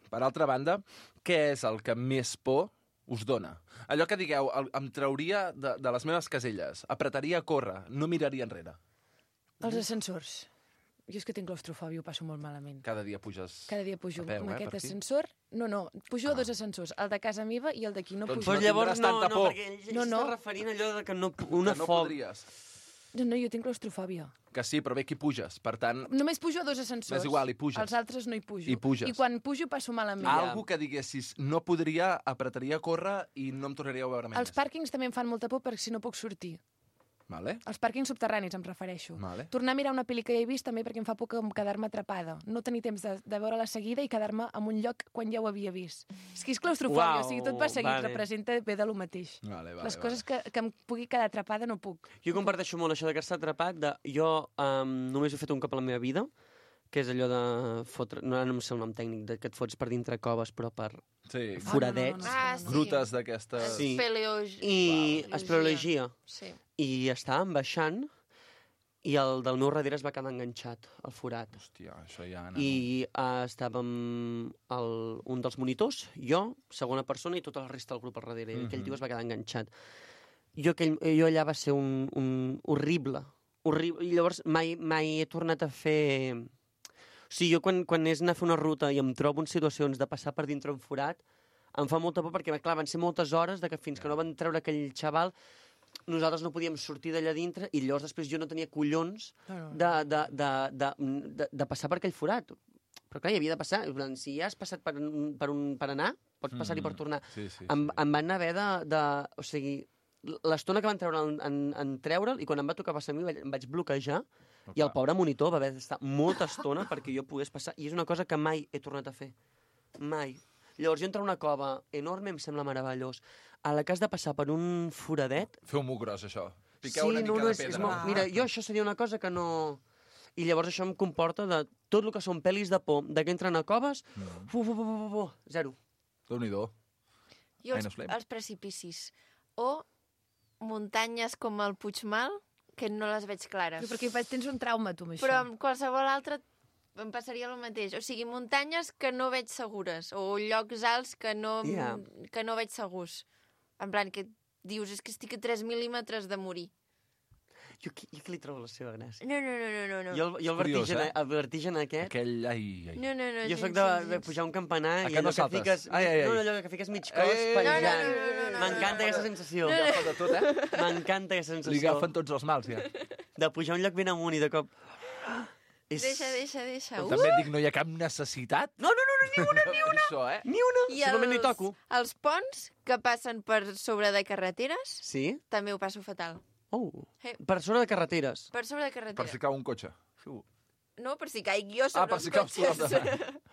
S9: Per altra banda, què és el que més por us dona? Allò que digueu, em trauria de les meves caselles, apretaria a córrer, no miraria enrere.
S2: Els ascensors. Jo és que tinc claustrofòbia, ho passo molt malament.
S9: Cada dia puges
S2: Cada dia pujo
S9: a peu,
S2: amb aquest
S9: per aquí?
S2: ascensor. No, pujo a dos ascensors, el de casa meva i el d'aquí. No
S9: Doncs
S2: pujo.
S10: Però llavors
S9: tindràs
S10: no,
S9: tanta por.
S10: perquè ell
S2: No, no.
S10: s'està referint a allò de que no...
S9: Que
S10: Una
S9: no
S10: fòbia.
S9: podries.
S2: No, jo tinc claustrofòbia.
S9: Que sí, però bé, aquí puges. Per tant,
S2: Només pujo a dos ascensors.
S9: És igual, hi puges.
S2: Els altres no hi pujo.
S9: Hi puges.
S2: I quan pujo passo malament.
S9: algú que diguessis no podria, apretaria a córrer i no em tornaria a veure mai
S2: Els pàrquings també em fan molta por perquè si no puc sortir.
S9: Vale.
S2: Els pàrquings subterranis, em refereixo.
S9: Vale.
S2: Tornar a mirar una pel·li que he vist també perquè em fa por quedar-me atrapada. No tenir temps de veure-la seguida i quedar-me en un lloc quan ja ho havia vist. És que és claustrofòbia, o sigui, tot va seguit, representa bé de lo mateix. Les coses que em pugui quedar atrapada no puc.
S10: Jo comparteixo molt això de quedar-se atrapat. Jo només ho he fet un cop a la meva vida, que és allò de fotre... No sé el nom tècnic, que et fots per dintre coves, però per foradets.
S1: Sí.
S9: Grutes d'aquestes...
S10: Sí.
S1: I
S10: espeleologia.
S1: Sí.
S10: I estàvem baixant i el del meu darrere es va quedar enganxat, al forat.
S9: Hòstia, això ja...
S10: I estàvem un dels monitors, jo, segona persona, i tota la resta del grup al darrere. I aquell tio es va quedar enganxat. Jo allà va ser un horrible. I llavors mai he tornat a fer... O sigui, jo quan és anar a fer una ruta i em trobo en situacions de passar per dintre un forat, em fa molta por perquè, clar, van ser moltes hores de que fins que no van treure aquell xaval nosaltres no podíem sortir d'allà dintre i llavors després jo no tenia collons de passar per aquell forat. Però clar, hi havia de passar. Si ja has passat per anar, pots passar-hi per tornar. Em van haver o sigui, l'estona que van treure en treure'l i quan em va tocar passar a mi em vaig bloquejar i el pobre monitor va haver d'estar molta estona perquè jo pogués passar. I és una cosa que mai he tornat a fer. Mai. Llavors jo entro a una cova enorme, em sembla meravellós. A la que has de passar per un foradet...
S9: Feu-m'ho gros, això. Piqueu una mica de pedra.
S10: Mira, jo això seria una cosa que no... I llavors això em comporta de tot el que són pel·lis de por, de que entren a coves, zero.
S9: Déu-n'hi-do.
S1: Jo els precipicis. O muntanyes com el Puigmal, que no les veig clares.
S2: Perquè tens un trauma, tu, amb això.
S1: Però amb qualsevol altre em passaria el mateix. O sigui, muntanyes que no veig segures, o llocs alts que no veig segurs. En plan, que dius, és que estic a 3 mil·límetres de morir.
S10: Jo que li trobo la seva gràcia.
S1: No.
S10: Jo el vertigen aquest...
S9: Aquell... Ai.
S1: No.
S10: Jo soc de pujar un campanar i allò que fiques... No, allò que fiques mig cos penjant. M'encanta aquesta sensació.
S9: Agafa de tot,
S10: M'encanta aquesta sensació.
S9: Li agafen tots els mals, ja.
S10: De pujar un lloc ben amunt i de cop...
S1: Deixa.
S9: També et dic, no hi ha cap necessitat?
S10: No, ni una.
S9: Això,
S10: Ni una. Simplement no hi toco.
S1: Els ponts que passen per sobre de carreteres,
S10: sí?
S1: També ho passo fatal.
S10: Per sobre de carreteres.
S1: Per sobre de carreteres.
S9: Per si cau un cotxe.
S1: No, per si caig jo sobre
S9: per si caus
S1: cotxes.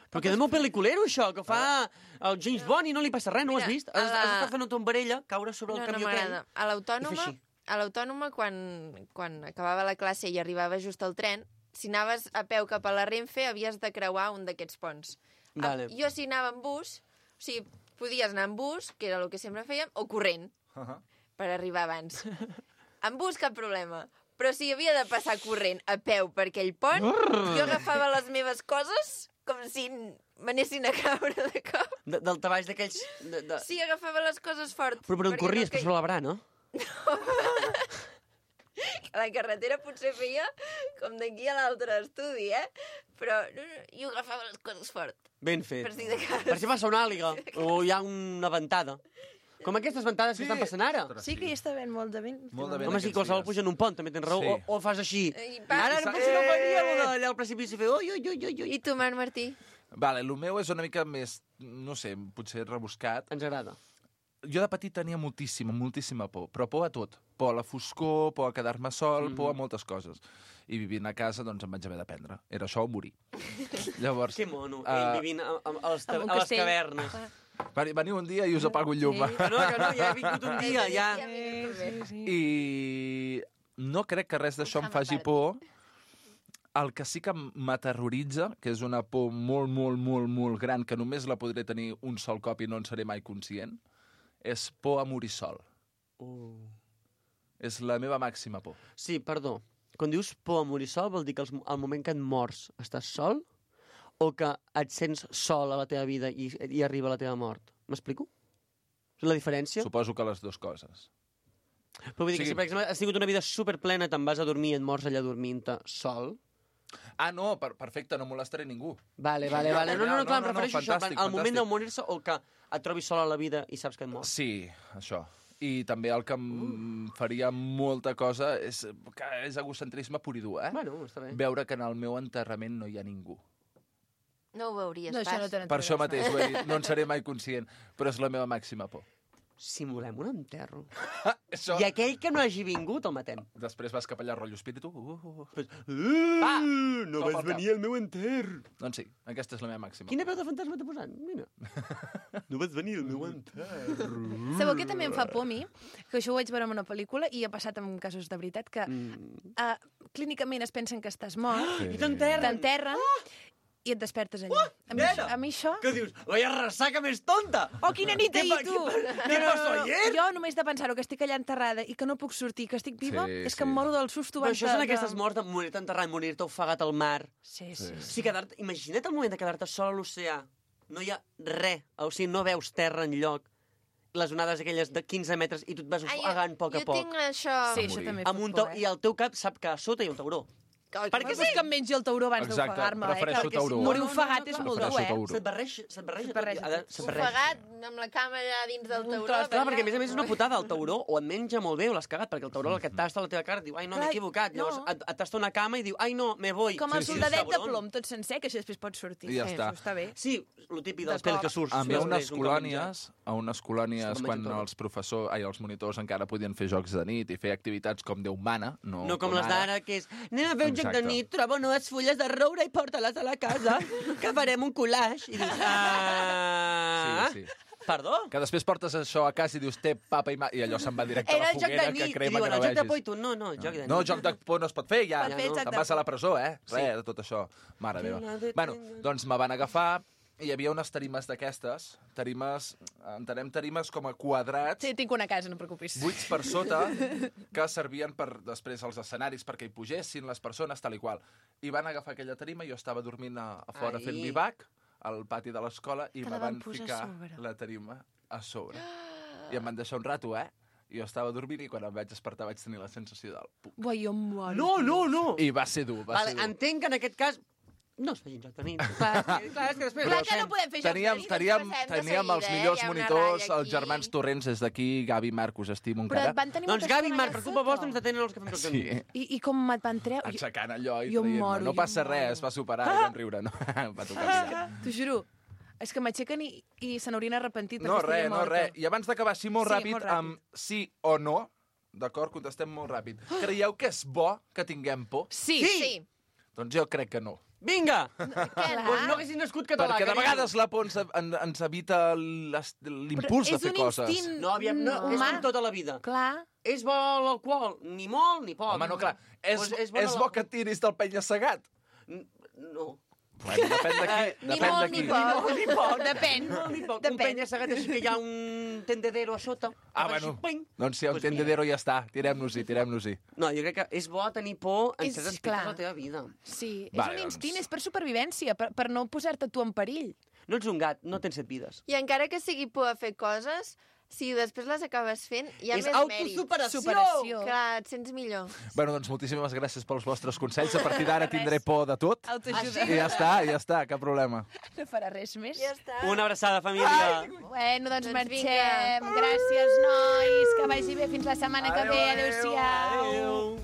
S10: Però queda molt pel·liculero, això, que fa el James Bond i no li passa res, no ho has vist? Has estat fent una tombarella, caure sobre el camió aquell.
S1: A l'autònoma, quan acabava la classe i arribava just al tren, si anaves a peu cap a la Renfe, havies de creuar un d'aquests ponts.
S10: Vale.
S1: Jo si anava en bus, o sigui, podies anar en bus, que era el que sempre fèiem, o corrent, per arribar abans. En bus cap problema. Però si havia de passar corrent a peu per aquell pont, jo agafava les meves coses com si m'anessin a caure de cop.
S10: Del treball d'aquells...
S1: Sí, agafava les coses fort.
S10: Però per on corries? Per sobre la brana?
S1: A la carretera potser feia com d'aquí a l'altre estudi, Però jo agafava les coses fort.
S10: Ben fet.
S1: Per si de cas.
S10: Per si passa una àliga o hi ha una ventada. Com aquestes ventades que estan passant ara.
S2: Sí que hi està ben molt de vent.
S10: Home, sí, qualsevol puja en un pont, també tens raó.
S9: Sí.
S10: O fas així. Ara potser no faríem allà al precipici fer ui.
S1: I tu, Marc Martí?
S9: Vale, el meu és una mica més, no sé, potser rebuscat.
S10: Ens agrada.
S9: Jo de petit tenia moltíssima por, però por a tot. Por a la foscor, por a quedar-me sol, por a moltes coses. I vivint a casa, doncs, em vaig haver d'aprendre. Era això o morir. Llavors...
S10: Que mono, vivint a les cavernes.
S9: Veniu un dia i us apago el llum.
S10: Que no, ja he vingut un dia, ja.
S9: I no crec que res d'això em faci por. El que sí que m'aterroritza, que és una por molt gran, que només la podré tenir un sol cop i no en seré mai conscient, és por a morir sol. És la meva màxima por.
S10: Sí, perdó. Quan dius por a morir sol, vol dir que al moment que et mors estàs sol o que et sents sol a la teva vida i arriba la teva mort? M'explico? La diferència?
S9: Suposo que les dues coses.
S10: Però vull dir que si, per exemple, has tingut una vida superplena, te'n vas a dormir i et mors allà dormint-te sol...
S9: Ah, no, perfecte, no molestaré ningú.
S10: Vale. No, clar, em refereixo a això. Al moment de morir-se o que et trobis sol a la vida i saps que et mors.
S9: Sí, això. I també el que em faria molta cosa és egocentrisme pur i dur,
S10: Bueno, està bé.
S9: Veure que en el meu enterrament no hi ha ningú.
S1: No ho veuries
S2: No,
S1: pas.
S2: no
S9: per això mateix, ho he dit, no en seré mai conscient, però és la meva màxima por.
S10: simulem un enterro.
S9: Això...
S10: I aquell que no hagi vingut el matem.
S9: Després vas cap allà, rotllo espíritu.
S10: No
S9: Com
S10: vas
S9: el
S10: venir al meu enterro.
S9: Doncs sí, aquesta és la meva màxima.
S10: Quina veu de fantasma t'ha posat? Mira. No vas venir al meu enterro.
S2: Sabeu que també em fa por a mi? Que això ho vaig veure en una pel·lícula i ha passat en casos de veritat que clínicament es pensen que estàs mort,
S10: I t'enterren.
S2: i et despertes allà. A mi això...
S10: Què dius? Vaya ressaca més tonta!
S2: Oh, quina nit ahir, tu!
S10: Què passó ayer?
S2: Jo només de pensar-ho, que estic allà enterrada i que no puc sortir, que estic viva,
S9: Sí,
S2: és que
S9: sí.
S2: em moro del susto.
S10: Però això són aquestes morts de morir-te enterrat, morir-te ofegat al mar.
S2: Sí.
S10: Sí, imagina't el moment de quedar-te sol a l'oceà. No hi ha res, o sigui, no veus terra enlloc. Les onades aquelles de 15 metres i tu et vas ofegant a poc a poc.
S1: Jo tinc això...
S2: Sí, això també
S10: Amb un I al teu cap sap que a sota hi ha un tauró.
S2: Perquè sí que em mengi el tauró abans
S9: Exacte,
S2: d'ofegar-me.
S9: prefereixo tauró.
S2: Morir ofegat és molt dur,
S9: Prefereixo tauró.
S10: Se't barreja.
S1: Ofegat amb la cama allà dins del tauró.
S10: Clar, perquè a més és una putada. El tauró o et menja molt bé o l'has cagat, perquè el tauró el que et tasta a la teva cara diu, ai no, m'he equivocat. Llavors et tasta una cama i diu, ai no, me voy.
S2: Com el soldadet de plom, tot sencer, que això després pot sortir.
S9: I ja està.
S2: Això està bé.
S10: Sí, el típic dels pèls que surts.
S9: A unes colònies, quan els monitors encara podien fer jocs de nit i fer activitats com Déu mana,
S10: no com les d'ara, que és anem a fer un joc de nit, troba unes fulles de roure i porta-les a la casa, que farem un collage. I dius,
S9: Sí.
S10: Perdó?
S9: Que després portes això a casa i dius, té papa i mà, i allò se'n va directe a la
S10: Era el joc
S9: foguera
S10: de
S9: que
S10: nit. I
S9: crema
S10: diuen,
S9: que no
S10: el joc de
S9: vegis.
S10: por i tu, no, joc de nit.
S9: No, joc de por no es pot fer, ja.
S2: Pot fer joc
S9: Te'n
S2: de
S9: vas a la presó,
S10: Sí.
S9: de tot això. Mare meva. Bueno, doncs me van agafar i hi havia unes tarimes d'aquestes, entenem tarimes com a quadrats,
S2: Sí, tinc una casa, no et preocupis.
S9: buits per sota, que servien per després els escenaris perquè hi pugessin les persones, tal i qual. I van agafar aquella tarima, jo estava dormint a fora
S10: Ai.
S9: fent bivac, al pati de l'escola, i
S2: Te
S9: me
S2: la van
S9: van
S2: posar a
S9: ficar
S2: sobre.
S9: la tarima a sobre. I em van deixar un rato, I jo estava dormint i quan em vaig despertar vaig tenir la sensació del pup.
S2: Buah, jo em moro.
S10: No!
S9: I va ser dur, va ser dur.
S10: Entenc que en aquest cas no es feien joc de nit. Clar, és que després...
S2: Clar que no podem fer jocs de nit.
S9: Teníem els millors monitors, els germans Torrents, des d'aquí, Gavi i Marc, us estimo
S2: Però
S9: encara.
S2: et van tenir
S10: Doncs
S2: moltes
S10: Gavi i
S2: coses
S10: Marc, per culpa
S2: sota.
S10: vostra ens detenen els que fem joc de
S9: Sí,
S10: nit.
S2: I com et van treure?
S9: aixecant allò i
S2: Jo
S9: traient-me.
S2: moro,
S9: No
S2: jo
S9: passa
S2: moro.
S9: res, va superar i vam riure. No, va tocar mirar.
S2: T'ho juro. És que m'aixequen i se n'haurien arrepentit.
S9: No,
S2: perquè estaria
S9: res, no,
S2: morta.
S9: res. I abans d'acabar així molt
S2: Sí,
S9: ràpid,
S2: molt ràpid.
S9: amb sí o no, d'acord, contestem molt ràpid. Creieu que és bo que tinguem por?
S2: Sí.
S9: Doncs jo crec que no.
S10: Vinga!
S2: Clar.
S10: Doncs no haguessis nascut català.
S9: Perquè de
S10: carinyo.
S9: vegades la por ens evita l'impuls de fer coses.
S2: És un instint
S10: No, aviam, no, és
S2: humà.
S10: com tota la vida.
S2: Clar.
S10: És bo l'alcohol? Ni molt ni poc.
S9: Home, no, clar, és
S10: bona
S9: bo que et tiris del penya-segat.
S10: No.
S9: Bueno, depèn d'aquí.
S1: Ni
S9: Depèn
S1: molt
S9: d'aquí.
S1: ni poc.
S10: Ni poc.
S2: Depèn.
S10: Ni poc. Un
S2: Depèn.
S10: penya-segat així que hi ha un tendedero a sota.
S9: Ah,
S10: Que fa
S9: bueno,
S10: així, ping.
S9: doncs si hi ha un
S10: Pues mira.
S9: tendedero ja està. Tirem-nos-hi.
S10: No, jo crec que és bo tenir por en
S2: És
S10: certs aspectes
S2: clar.
S10: de la teva vida.
S2: Sí,
S9: Vale,
S2: és un
S9: doncs.
S2: instint, és per supervivència, per no posar-te tu en perill.
S10: No ets un gat, no tens 7 vides.
S1: I encara que sigui por a fer coses, si després les acabes fent, hi ha
S10: És
S1: més mèrit.
S10: autosuperació!
S2: Superació.
S1: Clar, et sents millor.
S9: Bueno, doncs moltíssimes gràcies pels vostres consells. A partir d'ara tindré por de tot.
S2: Autoajuda.
S9: I ja està, cap problema.
S2: No farà res més.
S1: Ja està.
S10: Una abraçada, família.
S2: Bueno, doncs
S1: Doncs
S2: marxem.
S1: vinga.
S2: Gràcies, nois. Que vagi bé fins la setmana que ve. Adéu-siau.
S10: Adéu.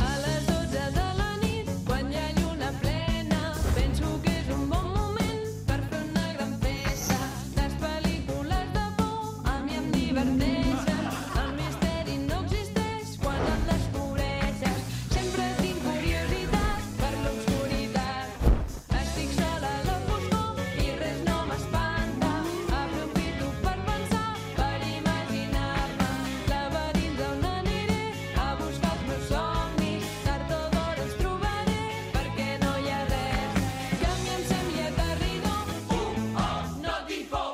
S3: A les 12 de la nit, quan hi ha lluna plena, penso que és un bon moment per fer una gran festa. Les pel·lícules de por a mi em diverteixen. El misteri no existeix quan el descobreixes. Sempre tinc curiositat per l'obscuritat. Estic sola a la foscor i res no m'espanta. Aprofito per pensar, per imaginar-me laberins on aniré a buscar els meus somnis. Tard o d'hora els trobaré perquè no hi ha res que a mi em sembli aterridor. No tinc por.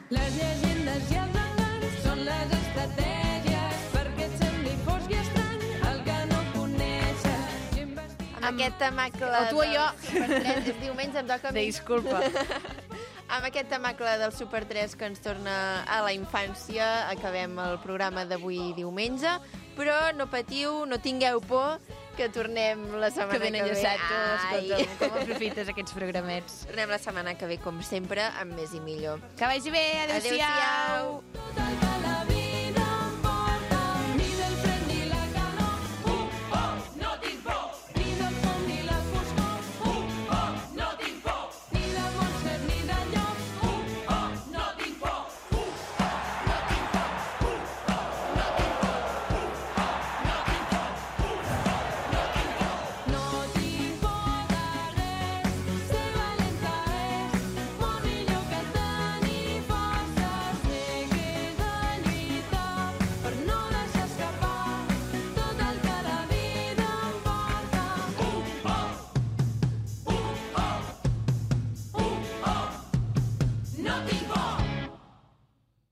S3: Les llegendes i els enganys són les estratègies perquè et sembli fosc i estrany el que no coneixes. I investiga...
S1: Amb aquest temacle...
S2: O tu o jo.
S1: Super 3, és diumenge, em toca a mi.
S2: Disculpa.
S1: Amb aquest temacle del Super 3 que ens torna a la infància, acabem el programa d'avui diumenge, però no patiu, no tingueu por, que tornem la setmana
S2: Que ben
S1: que ve.
S2: enllaçat,
S1: Ai.
S2: escolta'm, com aprofites aquests programets.
S1: Tornem la setmana que ve, com sempre, amb més i millor.
S2: Que vagi bé, adéu-siau.
S1: Adéu-siau.
S3: Tot el que la